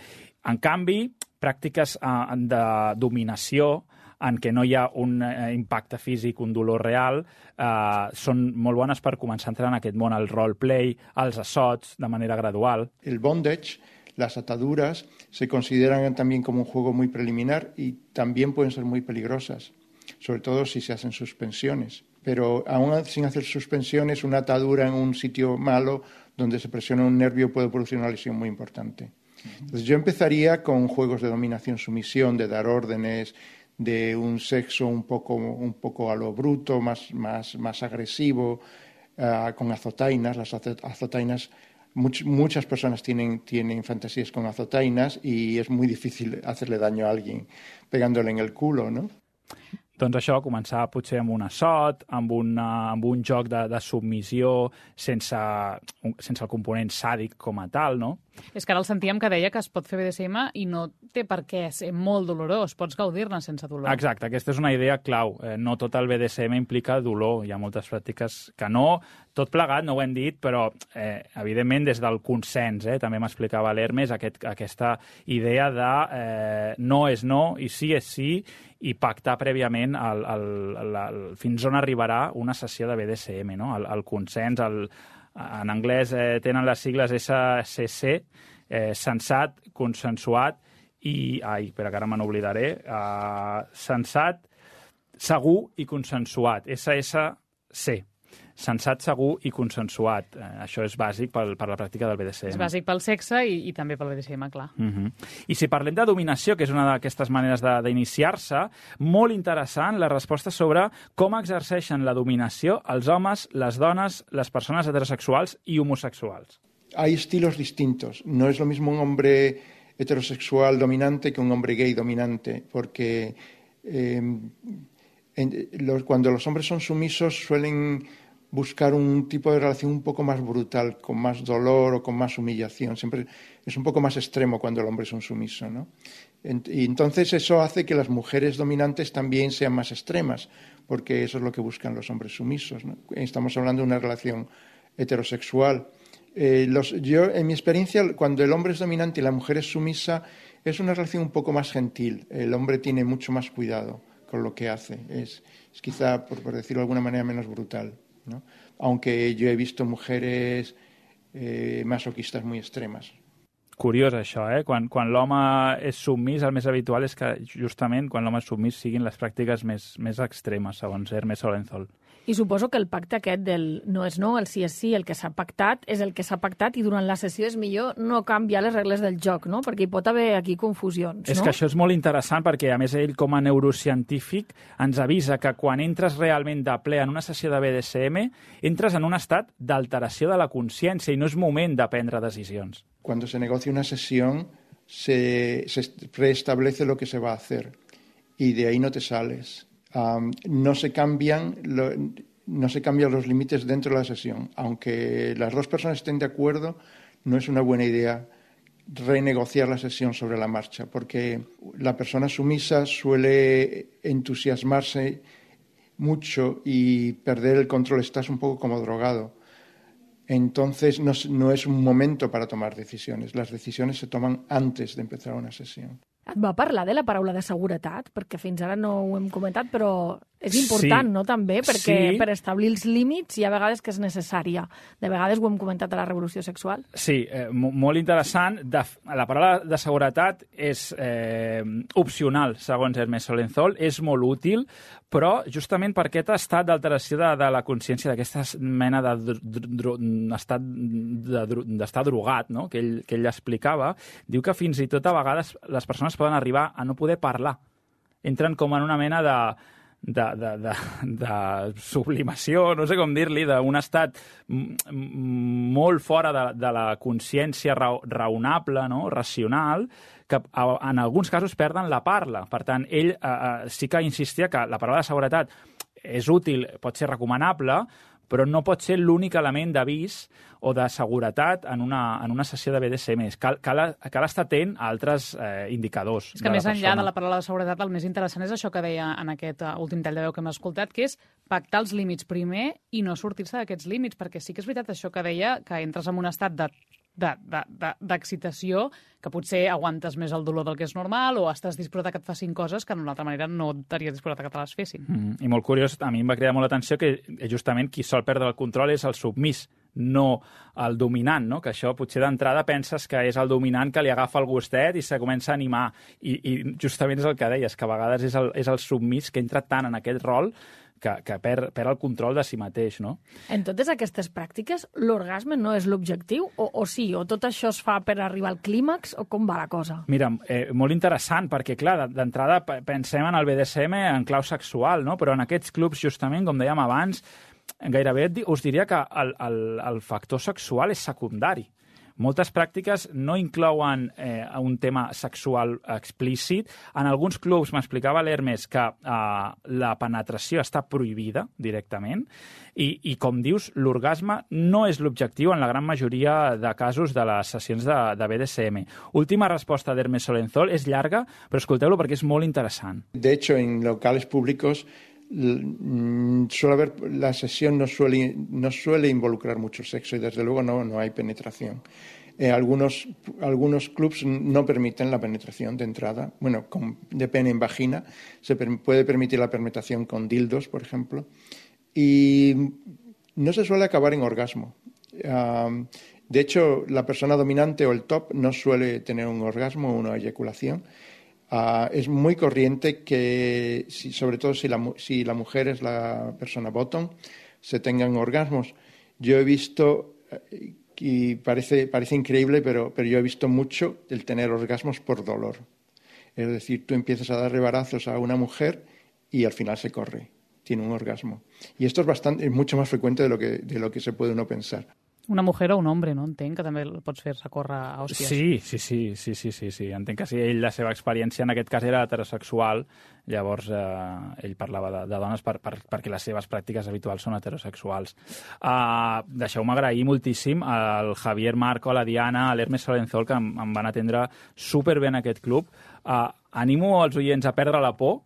H: En canvi, pràctiques eh, de dominació, en què no hi ha un eh, impacte físic, un dolor real, eh, són molt bones per començar a entrar en aquest món, el roleplay, els assots, de manera gradual.
K: El bondage, las ataduras, se consideran también como un juego muy preliminar y también pueden ser muy peligrosas, sobre todo si se hacen suspensiones. Pero aún sin hacer suspensiones, una atadura en un sitio malo donde se presiona un nervio puede producir una lesión muy importante. Entonces yo empezaría con juegos de dominación-sumisión, de dar órdenes, de un sexo un poco, un poco a lo bruto, más, más, más agresivo, uh, con azotainas. Las azotainas, much, muchas personas tienen, tienen fantasías con azotainas y es muy difícil hacerle daño a alguien pegándole en el culo, ¿no?
H: Doncs això, començar potser amb un assot, amb, una, amb un joc de, de submissió, sense, sense el component sàdic com a tal, no?
B: És que ara el sentíem que deia que es pot fer B D S M i no té per què ser molt dolorós, pots gaudir-ne sense dolor.
H: Exacte, aquesta és una idea clau. Eh, no tot el B D S M implica dolor, hi ha moltes pràctiques que no, tot plegat, no ho hem dit, però eh, evidentment des del consens, eh, també m'explicava l'Hermes, aquest, aquesta idea de eh, no és no i sí és sí, i pactar prèviament el, el, el, el, fins on arribarà una sessió de B D S M, no? el, el consens, el, en anglès eh, tenen les sigles S C C, eh, sensat, consensuat i... Ai, espera, que ara me n'oblidaré. Uh, sensat, segur i consensuat. S S C. Sensat, segur i consensuat. Eh, això és bàsic per, per la pràctica del B D S M.
B: És bàsic pel sexe i, i també pel B D S M, clar.
H: Uh -huh. I si parlem de dominació, que és una d'aquestes maneres d'iniciar-se, molt interessant la resposta sobre com exerceixen la dominació els homes, les dones, les persones heterosexuals i homosexuals.
K: Hay estilos distintos. No es lo mismo un hombre heterosexual dominante que un hombre gay dominante, porque eh, en, los, cuando los hombres son sumisos suelen buscar un tipo de relación un poco más brutal, con más dolor o con más humillación. Siempre es un poco más extremo cuando el hombre es un sumiso, ¿no? Y entonces eso hace que las mujeres dominantes también sean más extremas, porque eso es lo que buscan los hombres sumisos, ¿no? Estamos hablando de una relación heterosexual. Eh, los, yo, en mi experiencia, cuando el hombre es dominante y la mujer es sumisa, es una relación un poco más gentil. El hombre tiene mucho más cuidado con lo que hace. Es, es quizá, por, por decirlo de alguna manera, menos brutal, ¿no? Aunque yo he visto mujeres eh, masoquistas muy extremas.
H: Curiós, això, eh? Quan, quan l'home és submís, el més habitual és que, justament, quan l'home és submís siguin les pràctiques més, més extremes, segons Hermes Solenzol.
C: I suposo que el pacte aquest del no és no, el sí és sí, el que s'ha pactat, és el que s'ha pactat i durant la sessió és millor no canviar les regles del joc, no? Perquè hi pot haver aquí confusions, no?
H: És que això és molt interessant perquè, a més, ell, com a neurocientífic, ens avisa que quan entres realment de ple en una sessió de B D S M, entres en un estat d'alteració de la consciència i no és moment de prendre decisions.
K: Cuando se negocia una sesión, se, se preestablece lo que se va a hacer y de ahí no te sales. Um, no se cambian lo, no se cambian los límites dentro de la sesión. Aunque las dos personas estén de acuerdo, no es una buena idea renegociar la sesión sobre la marcha, porque la persona sumisa suele entusiasmarse mucho y perder el control. Estás un poco como drogado. Entonces no, no es un momento para tomar decisiones. Las decisiones se toman antes de empezar una sesión.
C: Et va parlar de la paraula de seguretat? Perquè fins ara no ho hem comentat, però és important, sí, no, també? Perquè sí, per establir els límits hi ha vegades que és necessària. De vegades ho hem comentat a la revolució sexual.
H: Sí, eh, molt interessant. De, la paraula de seguretat és eh, opcional, segons Hermes Solenzol, és molt útil, però justament per aquest estat d'alteració de, de la consciència, d'aquesta mena d'estat d'estar drogat, no? que, ell, que ell explicava, diu que fins i tot a vegades les persones poden arribar a no poder parlar. Entren com en una mena de, de, de, de, de sublimació, no sé com dir-li, d'un estat molt fora de, de la consciència raonable, no? racional, que en alguns casos perden la parla. Per tant, ell eh, sí que insistia que la paraula de seguretat és útil, pot ser recomanable, però no pot ser l'únic element d'avís o de seguretat en una, en una sessió de B D S M. Cal, cal, cal estar atent a altres eh, indicadors.
B: És que més enllà de la paraula de seguretat, el més interessant és això que deia en aquest últim tall de veu que hem escoltat, que és pactar els límits primer i no sortir-se d'aquests límits, perquè sí que és veritat això que deia, que entres en un estat de d'excitació, que potser aguantes més el dolor del que és normal o estàs disposat a que et facin coses que d'una altra manera no estaries disposat a que te les fessin.
H: Mm, I molt curiós, a mi em va cridar molt l'atenció que justament qui sol perdre el control és el submís, no el dominant, no? Que això potser d'entrada penses que és el dominant que li agafa el gustet i se comença a animar. I, i justament és el que deies, que a vegades és el, és el submís que entra tant en aquest rol que, que perd, perd el control de si mateix, no?
C: En totes aquestes pràctiques, l'orgasme no és l'objectiu? O, o sí? O tot això es fa per arribar al clímax? O com va la cosa?
H: Mira, eh, molt interessant, perquè, clar, d'entrada pensem en el B D S M en clau sexual, no? Però en aquests clubs, justament, com dèiem abans, gairebé us diria que el, el, el factor sexual és secundari. Moltes pràctiques no inclouen eh, un tema sexual explícit. En alguns clubs m'explicava l'Hermes que eh, la penetració està prohibida directament i, i com dius, l'orgasme no és l'objectiu en la gran majoria de casos de les sessions de, de B D S M. Última resposta d'Hermes Solenzol, és llarga, però escolteu-lo perquè és molt interessant.
K: De hecho, en locales públicos suele haber, la sesión no suele, no suele involucrar mucho sexo y desde luego no, no hay penetración. Eh, algunos, algunos clubs no permiten la penetración de entrada, bueno, con, de pene en vagina, se per, puede permitir la penetración con dildos, por ejemplo, y no se suele acabar en orgasmo. Um, de hecho, la persona dominante o el top no suele tener un orgasmo o una eyaculación. Uh, es muy corriente que, si, sobre todo si la, si la mujer es la persona bottom, se tengan orgasmos. Yo he visto, y parece, parece increíble, pero, pero yo he visto mucho el tener orgasmos por dolor. Es decir, tú empiezas a darle barazos a una mujer y al final se corre, tiene un orgasmo. Y esto es, bastante, es mucho más frecuente de lo que, de lo que se puede uno pensar.
B: Una mujer o un home, no? Entenc que també el pots fer recórrer a hòsties.
H: Sí, sí, sí, sí, sí, sí, sí. Entenc que si ell, la seva experiència en aquest cas era heterosexual, llavors eh, ell parlava de, de dones per, per, perquè les seves pràctiques habituals són heterosexuals. Uh, Deixeu-me agrair moltíssim al Javier Marco, a la Diana, a l'Hermes Solenzol, que em, em van atendre superbé en aquest club. Uh, animo els oients a perdre la por.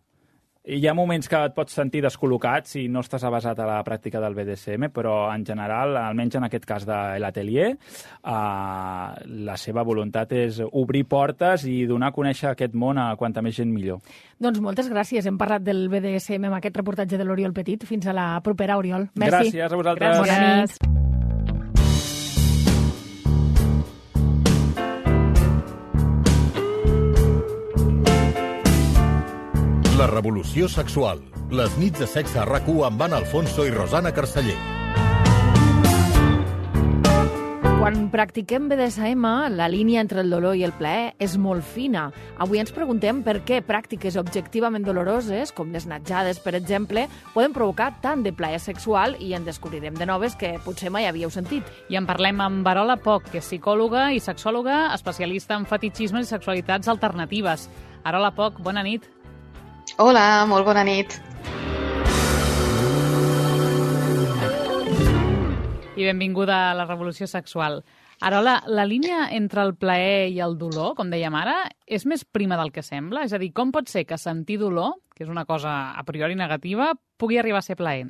H: Hi ha moments que et pots sentir descol·locat si no estàs avasat a la pràctica del B D S M, però en general, almenys en aquest cas de l'atelier, eh, la seva voluntat és obrir portes i donar a conèixer aquest món a quanta més gent millor.
C: Doncs moltes gràcies. Hem parlat del B D S M amb aquest reportatge de l'Oriol Petit. Fins a la propera, Oriol. Merci.
H: Gràcies a vosaltres.
C: Gràcies. Bona nit.
A: La revolució sexual. Les nits de sexe a RAC u amb Anna Alfonso i Rosana Carceller.
C: Quan practiquem B D S M, la línia entre el dolor i el plaer és molt fina. Avui ens preguntem per què pràctiques objectivament doloroses, com les natjades, per exemple, poden provocar tant de plaer sexual i en descobrirem de noves que potser mai havíeu sentit.
B: I en parlem amb Arola Poch, que és psicòloga i sexòloga, especialista en fetichismes i sexualitats alternatives. Arola Poch, bona nit.
L: Hola, molt bona nit.
B: I benvinguda a la revolució sexual. Arola, la línia entre el plaer i el dolor, com dèiem ara, és més prima del que sembla? És a dir, com pot ser que sentir dolor, que és una cosa a priori negativa, pugui arribar a ser plaent?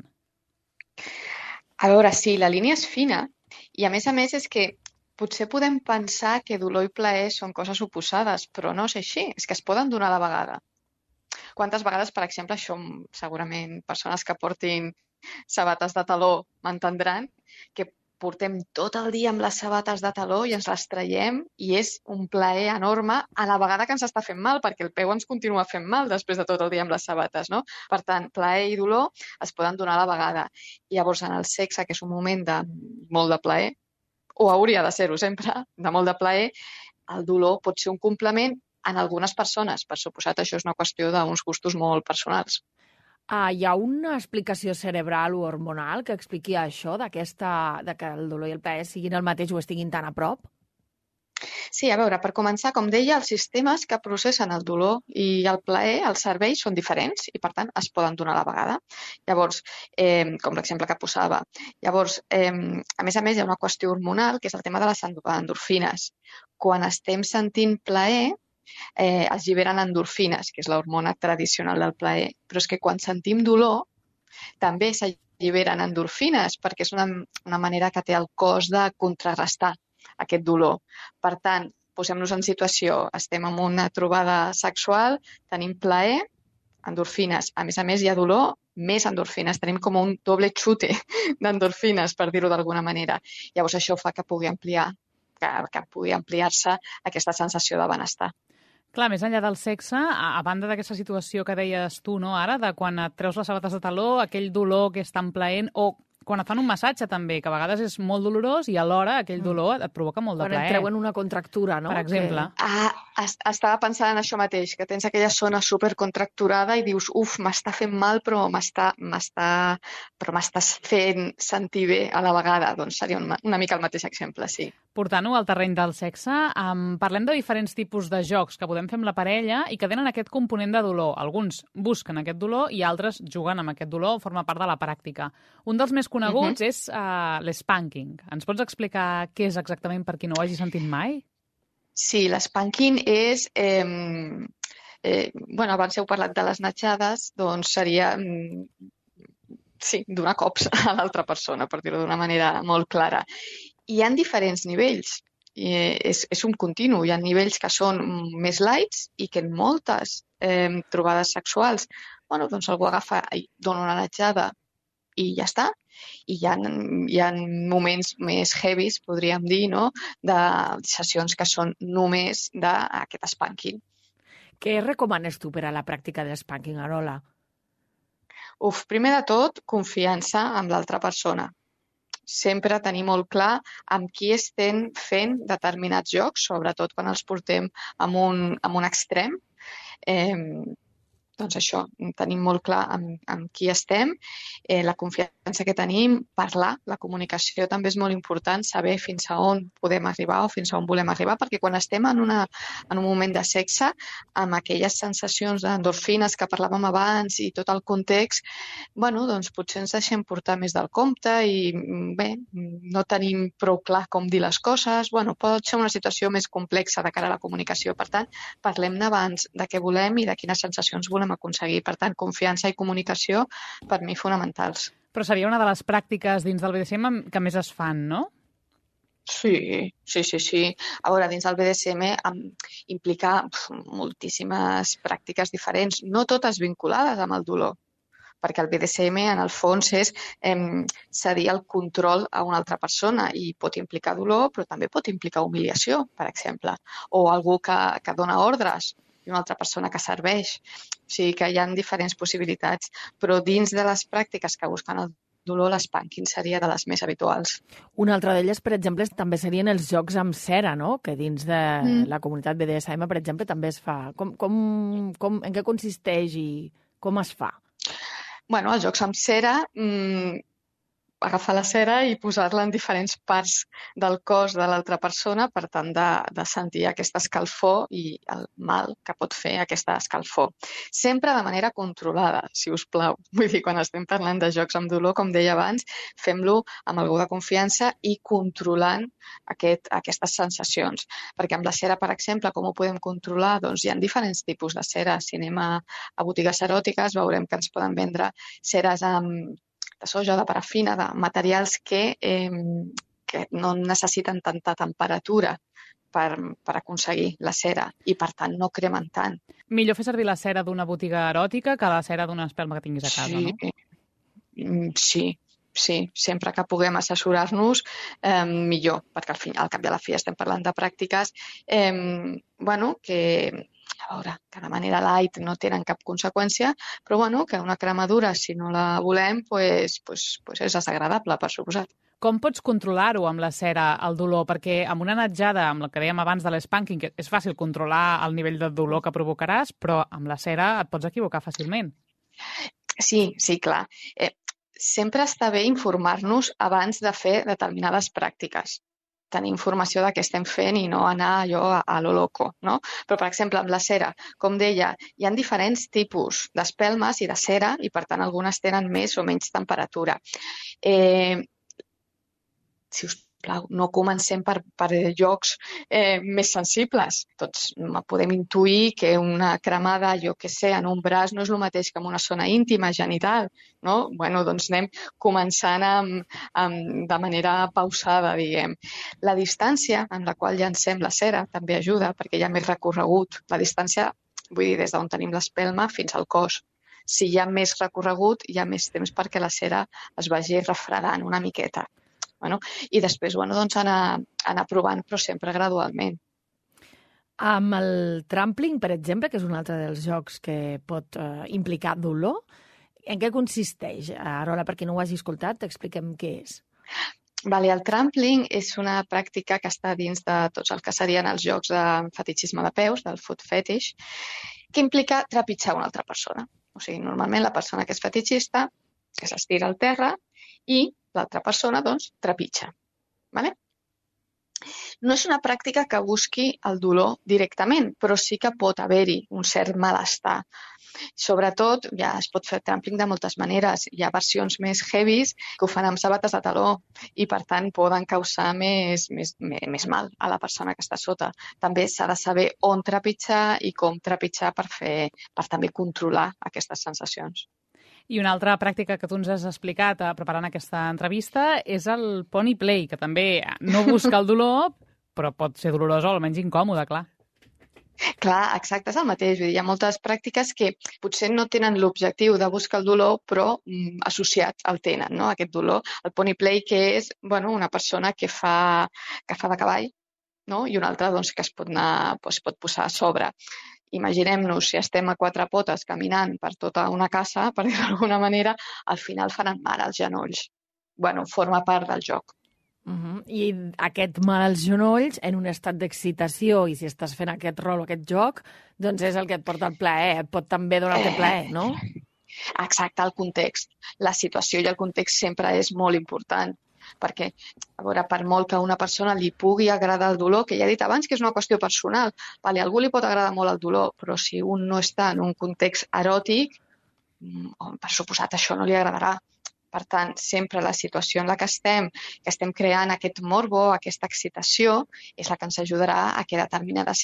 L: A veure, sí, la línia és fina i a més a més és que potser podem pensar que dolor i plaer són coses oposades, però no és així, és que es poden donar a la vegada. Quantes vegades, per exemple, això segurament persones que portin sabates de taló m'entendran, que portem tot el dia amb les sabates de taló i ens les traiem i és un plaer enorme a la vegada que ens està fent mal, perquè el peu ens continua fent mal després de tot el dia amb les sabates, no? Per tant, plaer i dolor es poden donar a la vegada. I llavors, en el sexe, que és un moment de molt de plaer, o hauria de ser-ho sempre, de molt de plaer, el dolor pot ser un complement en algunes persones. Per suposat, això és una qüestió d'uns gustos molt personals.
C: Ah, hi ha una explicació cerebral o hormonal que expliqui això, d'aquesta, de que el dolor i el plaer siguin el mateix o estiguin tan a prop?
L: Sí, a veure, per començar, com deia, els sistemes que processen el dolor i el plaer, els cervells, són diferents i, per tant, es poden donar a la vegada. Llavors, eh, com l'exemple que posava. Llavors, eh, a més a més, hi ha una qüestió hormonal, que és el tema de les endorfines. Quan estem sentint plaer, eh, es lliberen endorfines, que és l'hormona tradicional del plaer. Però és que quan sentim dolor, també s'alliberen endorfines, perquè és una, una manera que té el cos de contrarrestar aquest dolor. Per tant, posem-nos en situació, estem en una trobada sexual, tenim plaer, endorfines. A més a més, hi ha dolor, més endorfines. Tenim com un doble xute d'endorfines, per dir-ho d'alguna manera. Llavors, això fa que pugui ampliar, que, que pugui ampliar-se aquesta sensació de benestar.
B: Clar, més enllà del sexe, a, a banda d'aquesta situació que deies tu, no, ara, de quan et treus les sabates de taló, aquell dolor que és tan plaent, o quan et fan un massatge també, que a vegades és molt dolorós i alhora aquell dolor et provoca molt de plaer.
C: Quan et treuen una contractura, no?
B: Per exemple.
L: Que... Ah, estava pensant en això mateix, que tens aquella zona supercontracturada i dius, uf, m'està fent mal, però m'està m'està però m'estàs fent sentir bé a la vegada. Doncs seria una, una mica el mateix exemple, sí.
B: Portant-ho al terreny del sexe, um, parlem de diferents tipus de jocs que podem fer amb la parella i que tenen aquest component de dolor. Alguns busquen aquest dolor i altres juguen amb aquest dolor, forma part de la pràctica. Un dels més coneguts uh-huh. és uh, l'spanking. Ens pots explicar què és exactament per qui no ho hagi sentit mai?
L: Sí, l'spanking és... Eh, eh, bueno, abans heu parlat de les natjades, doncs seria... Sí, donar cops a l'altra persona, per dir-ho d'una manera molt clara. Hi ha diferents nivells. I és, és un continu. Hi ha nivells que són més lights i que en moltes eh, trobades sexuals, bueno, doncs algú agafa i dona una natjada i ja està. I hi ha, hi ha moments més heavies, podríem dir, no? De sessions que són només d'aquest spanking.
C: Què recomanes tu per a la pràctica del spanking, Arola?
L: Uf, primer de tot, confiança amb l'altra persona. Sempre tenir molt clar amb qui estem fent determinats jocs, sobretot quan els portem amb un, amb un extrem. Eh, doncs això, tenim molt clar amb, amb qui estem, eh, la confiança que tenim, parlar, la comunicació també és molt important, saber fins a on podem arribar o fins a on volem arribar, perquè quan estem en, una, en un moment de sexe, amb aquelles sensacions d'endorfines que parlàvem abans i tot el context, bueno, doncs potser ens deixem portar més del compte i bé, no tenim prou clar com dir les coses, bueno, pot ser una situació més complexa de cara a la comunicació, per tant, parlem-ne abans de què volem i de quines sensacions volem aconseguir. Per tant, confiança i comunicació per mi fonamentals.
B: Però seria una de les pràctiques dins del B D S M que més es fan, no?
L: Sí, sí, sí, sí. A veure, dins del B D S M implica pf, moltíssimes pràctiques diferents, no totes vinculades amb el dolor, perquè el B D S M en el fons és eh, cedir el control a una altra persona i pot implicar dolor, però també pot implicar humiliació, per exemple, o algú que, que dona ordres i una altra persona que serveix. O sigui que hi ha diferents possibilitats, però dins de les pràctiques que busquen el dolor, l'espanking seria de les més habituals.
C: Una altra d'elles, per exemple, també serien els jocs amb cera, no? Que dins de mm. la comunitat B D S M, per exemple, també es fa. Com, com, com, en què consisteix i com es fa?
L: Bueno, els jocs amb cera, mmm, agafar la cera i posar-la en diferents parts del cos de l'altra persona per tant de, de sentir aquesta escalfor i el mal que pot fer aquesta escalfor. Sempre de manera controlada, si us plau. Vull dir, quan estem parlant de jocs amb dolor, com deia abans, fem-lo amb algú de confiança i controlant aquest, aquestes sensacions. Perquè amb la cera, per exemple, com ho podem controlar? Doncs hi ha diferents tipus de cera. Si anem a, a botigues eròtiques veurem que ens poden vendre ceres amb de soja, de parafina, de materials que, eh, que no necessiten tanta temperatura per, per aconseguir la cera i, per tant, no cremen tant.
B: Millor fer servir la cera d'una botiga eròtica que la cera d'una espelma que tinguis a casa,
L: sí,
B: no?
L: Sí, sí. Sempre que puguem assessorar-nos, eh, millor, perquè al, fin, al cap i a la fi estem parlant de pràctiques eh, bueno, que... a veure, que de manera light no tenen cap conseqüència, però bueno, que una cremadura, si no la volem, pues, pues, pues és desagradable, per suposat.
B: Com pots controlar-ho amb la cera, el dolor? Perquè amb una natjada, amb el que dèiem abans de l'espanking, que és fàcil controlar el nivell de dolor que provocaràs, però amb la cera et pots equivocar fàcilment.
L: Sí, sí, clar. Eh, sempre està bé informar-nos abans de fer determinades pràctiques. Tenir informació de què estem fent i no anar allò a, a lo loco, no? Però, per exemple, amb la cera, com deia, hi ha diferents tipus d'espelmes i de cera i, per tant, algunes tenen més o menys temperatura. Eh, si us plau, no comencem per, per llocs eh, més sensibles. Tots podem intuir que una cremada, jo què sé, en un braç no és el mateix que en una zona íntima, genital, no? Bueno, doncs anem començant amb, amb, de manera pausada, diguem. La distància en la qual llancem la cera també ajuda perquè hi ha més recorregut. La distància, vull dir, des d'on tenim l'espelma fins al cos. Si hi ha més recorregut, hi ha més temps perquè la cera es vagi refredant una miqueta. Bueno, i després bueno, doncs anar, anar provant, però sempre gradualment.
C: Amb el trampling, per exemple, que és un altre dels jocs que pot eh, implicar dolor, en què consisteix? Arola, per qui no ho hagi escoltat, t'expliquem què és.
L: Vale, el trampling és una pràctica que està dins de tots els que serien els jocs de fetichisme de peus, del foot fetish, que implica trepitjar una altra persona. O sigui, normalment la persona que és fetichista que s'estira al terra i l'altra persona, doncs, trepitja. Vale? No és una pràctica que busqui el dolor directament, però sí que pot haver-hi un cert malestar. Sobretot, ja es pot fer trampling de moltes maneres. Hi ha versions més heavies que ho fan amb sabates de taló i, per tant, poden causar més, més, més mal a la persona que està sota. També s'ha de saber on trepitjar i com trepitjar per, fer, per també controlar aquestes sensacions.
B: I una altra pràctica que tu ens has explicat eh, preparant aquesta entrevista és el pony play, que també no busca el dolor, però pot ser dolorosa o almenys incòmode, clar.
L: Clar, exacte, és el mateix. Vull dir, hi ha moltes pràctiques que potser no tenen l'objectiu de buscar el dolor, però mm, associats el tenen, no? Aquest dolor. El pony play, que és bueno, una persona que fa, que fa de cavall, no? I una altra doncs, que es pot, anar, es pot posar a sobre. Imaginem-nos, si estem a quatre potes caminant per tota una casa, per dir-ho d'alguna manera, al final faran mal als genolls. Bueno, forma part del joc.
C: Uh -huh. I aquest mal als genolls, en un estat d'excitació, i si estàs fent aquest rol o aquest joc, doncs és el que et porta el plaer, et pot també donar aquest plaer, no?
L: Exacte, el context. La situació i el context sempre és molt important, perquè, a veure, per molt que a una persona li pugui agradar el dolor, que ja he dit abans que és una qüestió personal, vale, a algú li pot agradar molt el dolor, però si un no està en un context eròtic, per suposat això no li agradarà. Per tant, sempre la situació en la que estem, que estem creant aquest morbo, aquesta excitació, és la que ens ajudarà a que determinades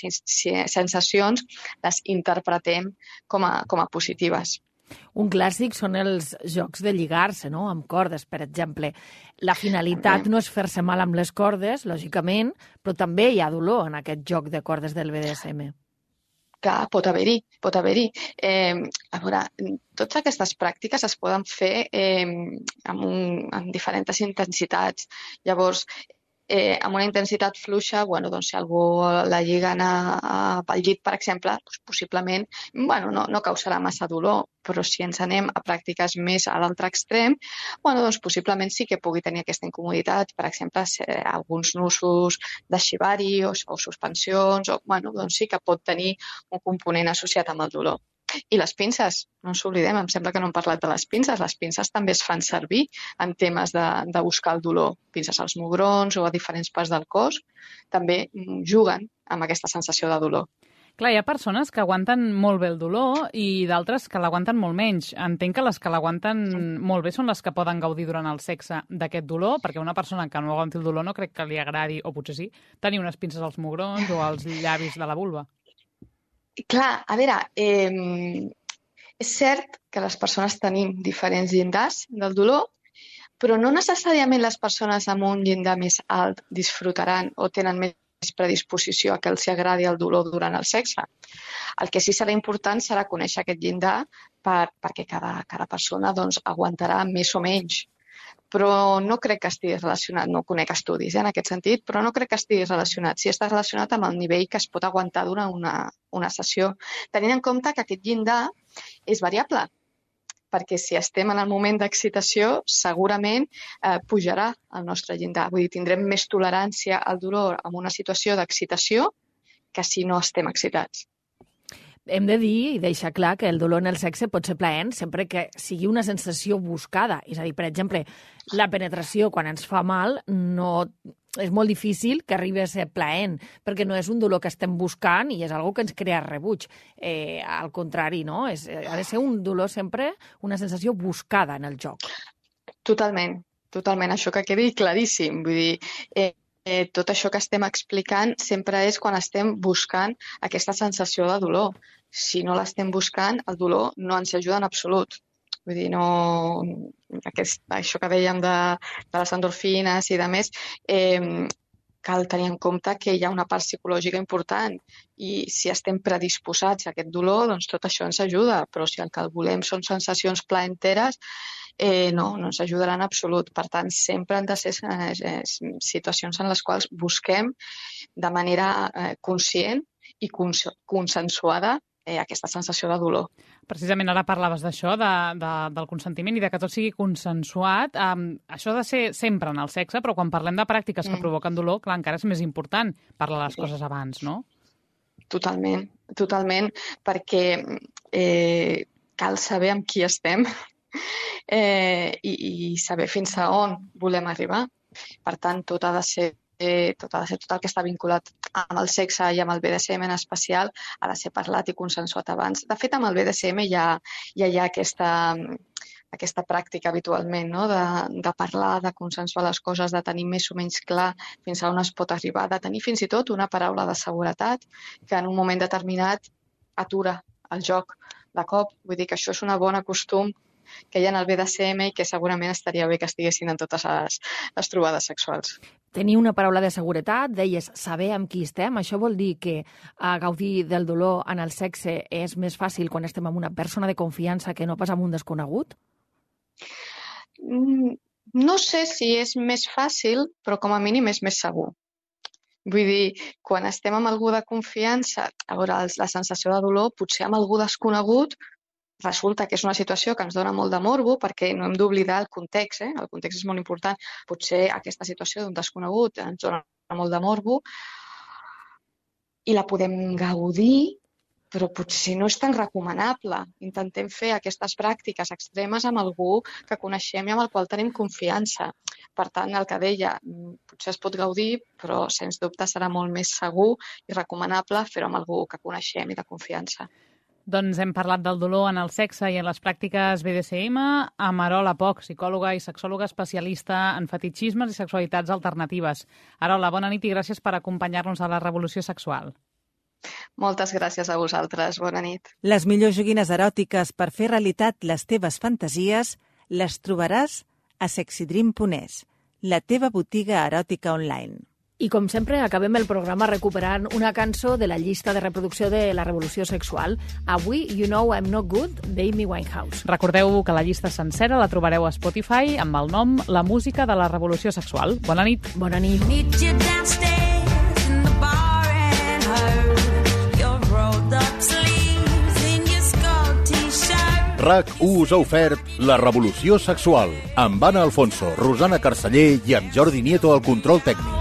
L: sensacions les interpretem com a, com a positives.
C: Un clàssic són els jocs de lligar-se, no? Amb cordes, per exemple. La finalitat no és fer-se mal amb les cordes, lògicament, però també hi ha dolor en aquest joc de cordes del B D S M.
L: Clar, pot haver-hi, pot haver-hi. Eh, a veure, totes aquestes pràctiques es poden fer eh, amb, un, amb diferents intensitats. Llavors, eh, amb una intensitat fluixa, bueno, doncs, si algú la lliguen a, a, pel llit, per exemple, doncs, possiblement bueno, no, no causarà massa dolor, però si ens anem a pràctiques més a l'altre extrem, bueno, doncs, possiblement sí que pugui tenir aquesta incomoditat, per exemple, alguns nusos de shibari o, o suspensions, o, bueno, doncs sí que pot tenir un component associat amb el dolor. I les pinces, no ens oblidem, em sembla que no hem parlat de les pinces, les pinces també es fan servir en temes de, de buscar el dolor. Pinces als mugrons o a diferents parts del cos també juguen amb aquesta sensació de dolor.
B: Clar, hi ha persones que aguanten molt bé el dolor i d'altres que l'aguanten molt menys. Entenc que les que l'aguanten molt bé són les que poden gaudir durant el sexe d'aquest dolor, perquè una persona que no aguanti el dolor no crec que li agradi, o potser sí, tenir unes pinces als mugrons o als llavis de la vulva.
L: Clar, a veure, eh, és cert que les persones tenim diferents llindars del dolor, però no necessàriament les persones amb un llindar més alt disfrutaran o tenen més predisposició a que els agradi el dolor durant el sexe. El que sí serà important serà conèixer aquest llindar per, perquè cada, cada persona doncs, aguantarà més o menys. Però no crec que estigui relacionat, no conec estudis eh, en aquest sentit, però no crec que estigui relacionat. Sí està relacionat amb el nivell que es pot aguantar durant una, una sessió, tenint en compte que aquest llindar és variable, perquè si estem en el moment d'excitació, segurament eh, pujarà el nostre llindar. Vull dir, tindrem més tolerància al dolor en una situació d'excitació que si no estem excitats.
C: Hem de dir i deixar clar que el dolor en el sexe pot ser plaent sempre que sigui una sensació buscada. És a dir, per exemple, la penetració quan ens fa mal no és molt difícil que arribi a ser plaent, perquè no és un dolor que estem buscant i és una que ens crea rebuig. Eh, al contrari, no? És, ha de ser un dolor sempre, una sensació buscada en el joc.
L: Totalment, totalment. Això que quedi claríssim. Vull dir, eh, Eh, tot això que estem explicant sempre és quan estem buscant aquesta sensació de dolor. Si no l'estem buscant, el dolor no ens ajuda en absolut. Vull dir, no... Aquest, això que dèiem de, de les endorfines i de més, eh, cal tenir en compte que hi ha una part psicològica important i si estem predisposats a aquest dolor, doncs tot això ens ajuda, però si el que volem són sensacions plaenteres, Eh, no, no ens ajudarà en absolut. Per tant, sempre han de ser eh, situacions en les quals busquem de manera eh, conscient i cons consensuada eh, aquesta sensació de dolor.
B: Precisament ara parlaves d'això, de, de, del consentiment i de que tot sigui consensuat. Um, això ha de ser sempre en el sexe, però quan parlem de pràctiques que mm. provoquen dolor, clar, encara és més important parlar les coses abans, no?
L: Totalment, totalment, perquè eh, cal saber amb qui estem Eh, i, i saber fins a on volem arribar. Per tant, tot ha de ser, eh, tot ha de ser tot el que està vinculat amb el sexe i amb el B D S M en especial ha de ser parlat i consensuat abans. De fet, amb el B D S M ja, ja hi ha aquesta, aquesta pràctica habitualment, no? de, de parlar, de consensuar les coses, de tenir més o menys clar fins a on es pot arribar, de tenir fins i tot una paraula de seguretat que en un moment determinat atura el joc de cop. Vull dir que això és un bon costum que hi ha en el B D S M i que segurament estaria bé que estiguessin en totes les, les trobades sexuals.
C: Tenir una paraula de seguretat, deies saber amb qui estem, això vol dir que a gaudir del dolor en el sexe és més fàcil quan estem amb una persona de confiança que no pas amb un desconegut?
L: No sé si és més fàcil, però com a mínim és més segur. Vull dir, quan estem amb algú de confiança, a veure, la sensació de dolor, potser amb algú desconegut, resulta que és una situació que ens dona molt de morbo, perquè no hem d'oblidar el context, eh? El context és molt important. Potser aquesta situació d'un desconegut ens dona molt de morbo i la podem gaudir, però potser no és tan recomanable. Intentem fer aquestes pràctiques extremes amb algú que coneixem i amb el qual tenim confiança. Per tant, el que deia, potser es pot gaudir, però sens dubte serà molt més segur i recomanable fer-ho amb algú que coneixem i de confiança.
B: Doncs hem parlat del dolor en el sexe i en les pràctiques B D S M amb Arola Poch, psicòloga i sexòloga especialista en fetitxismes i sexualitats alternatives. Arola, bona nit i gràcies per acompanyar-nos a la Revolució Sexual.
L: Moltes gràcies a vosaltres. Bona nit.
G: Les millors joguines eròtiques per fer realitat les teves fantasies les trobaràs a sexy dream punt es, la teva botiga eròtica online.
C: I com sempre, acabem el programa recuperant una cançó de la llista de reproducció de la Revolució Sexual. Avui, You Know I'm Not Good, d'Amy Winehouse.
B: Recordeu que la llista sencera la trobareu a Spotify amb el nom La Música de la Revolució Sexual. Bona nit.
C: Bona nit.
A: R A C u us ha ofert La Revolució Sexual amb Anna Alfonso, Rosana Carceller i amb Jordi Nieto al control tècnic.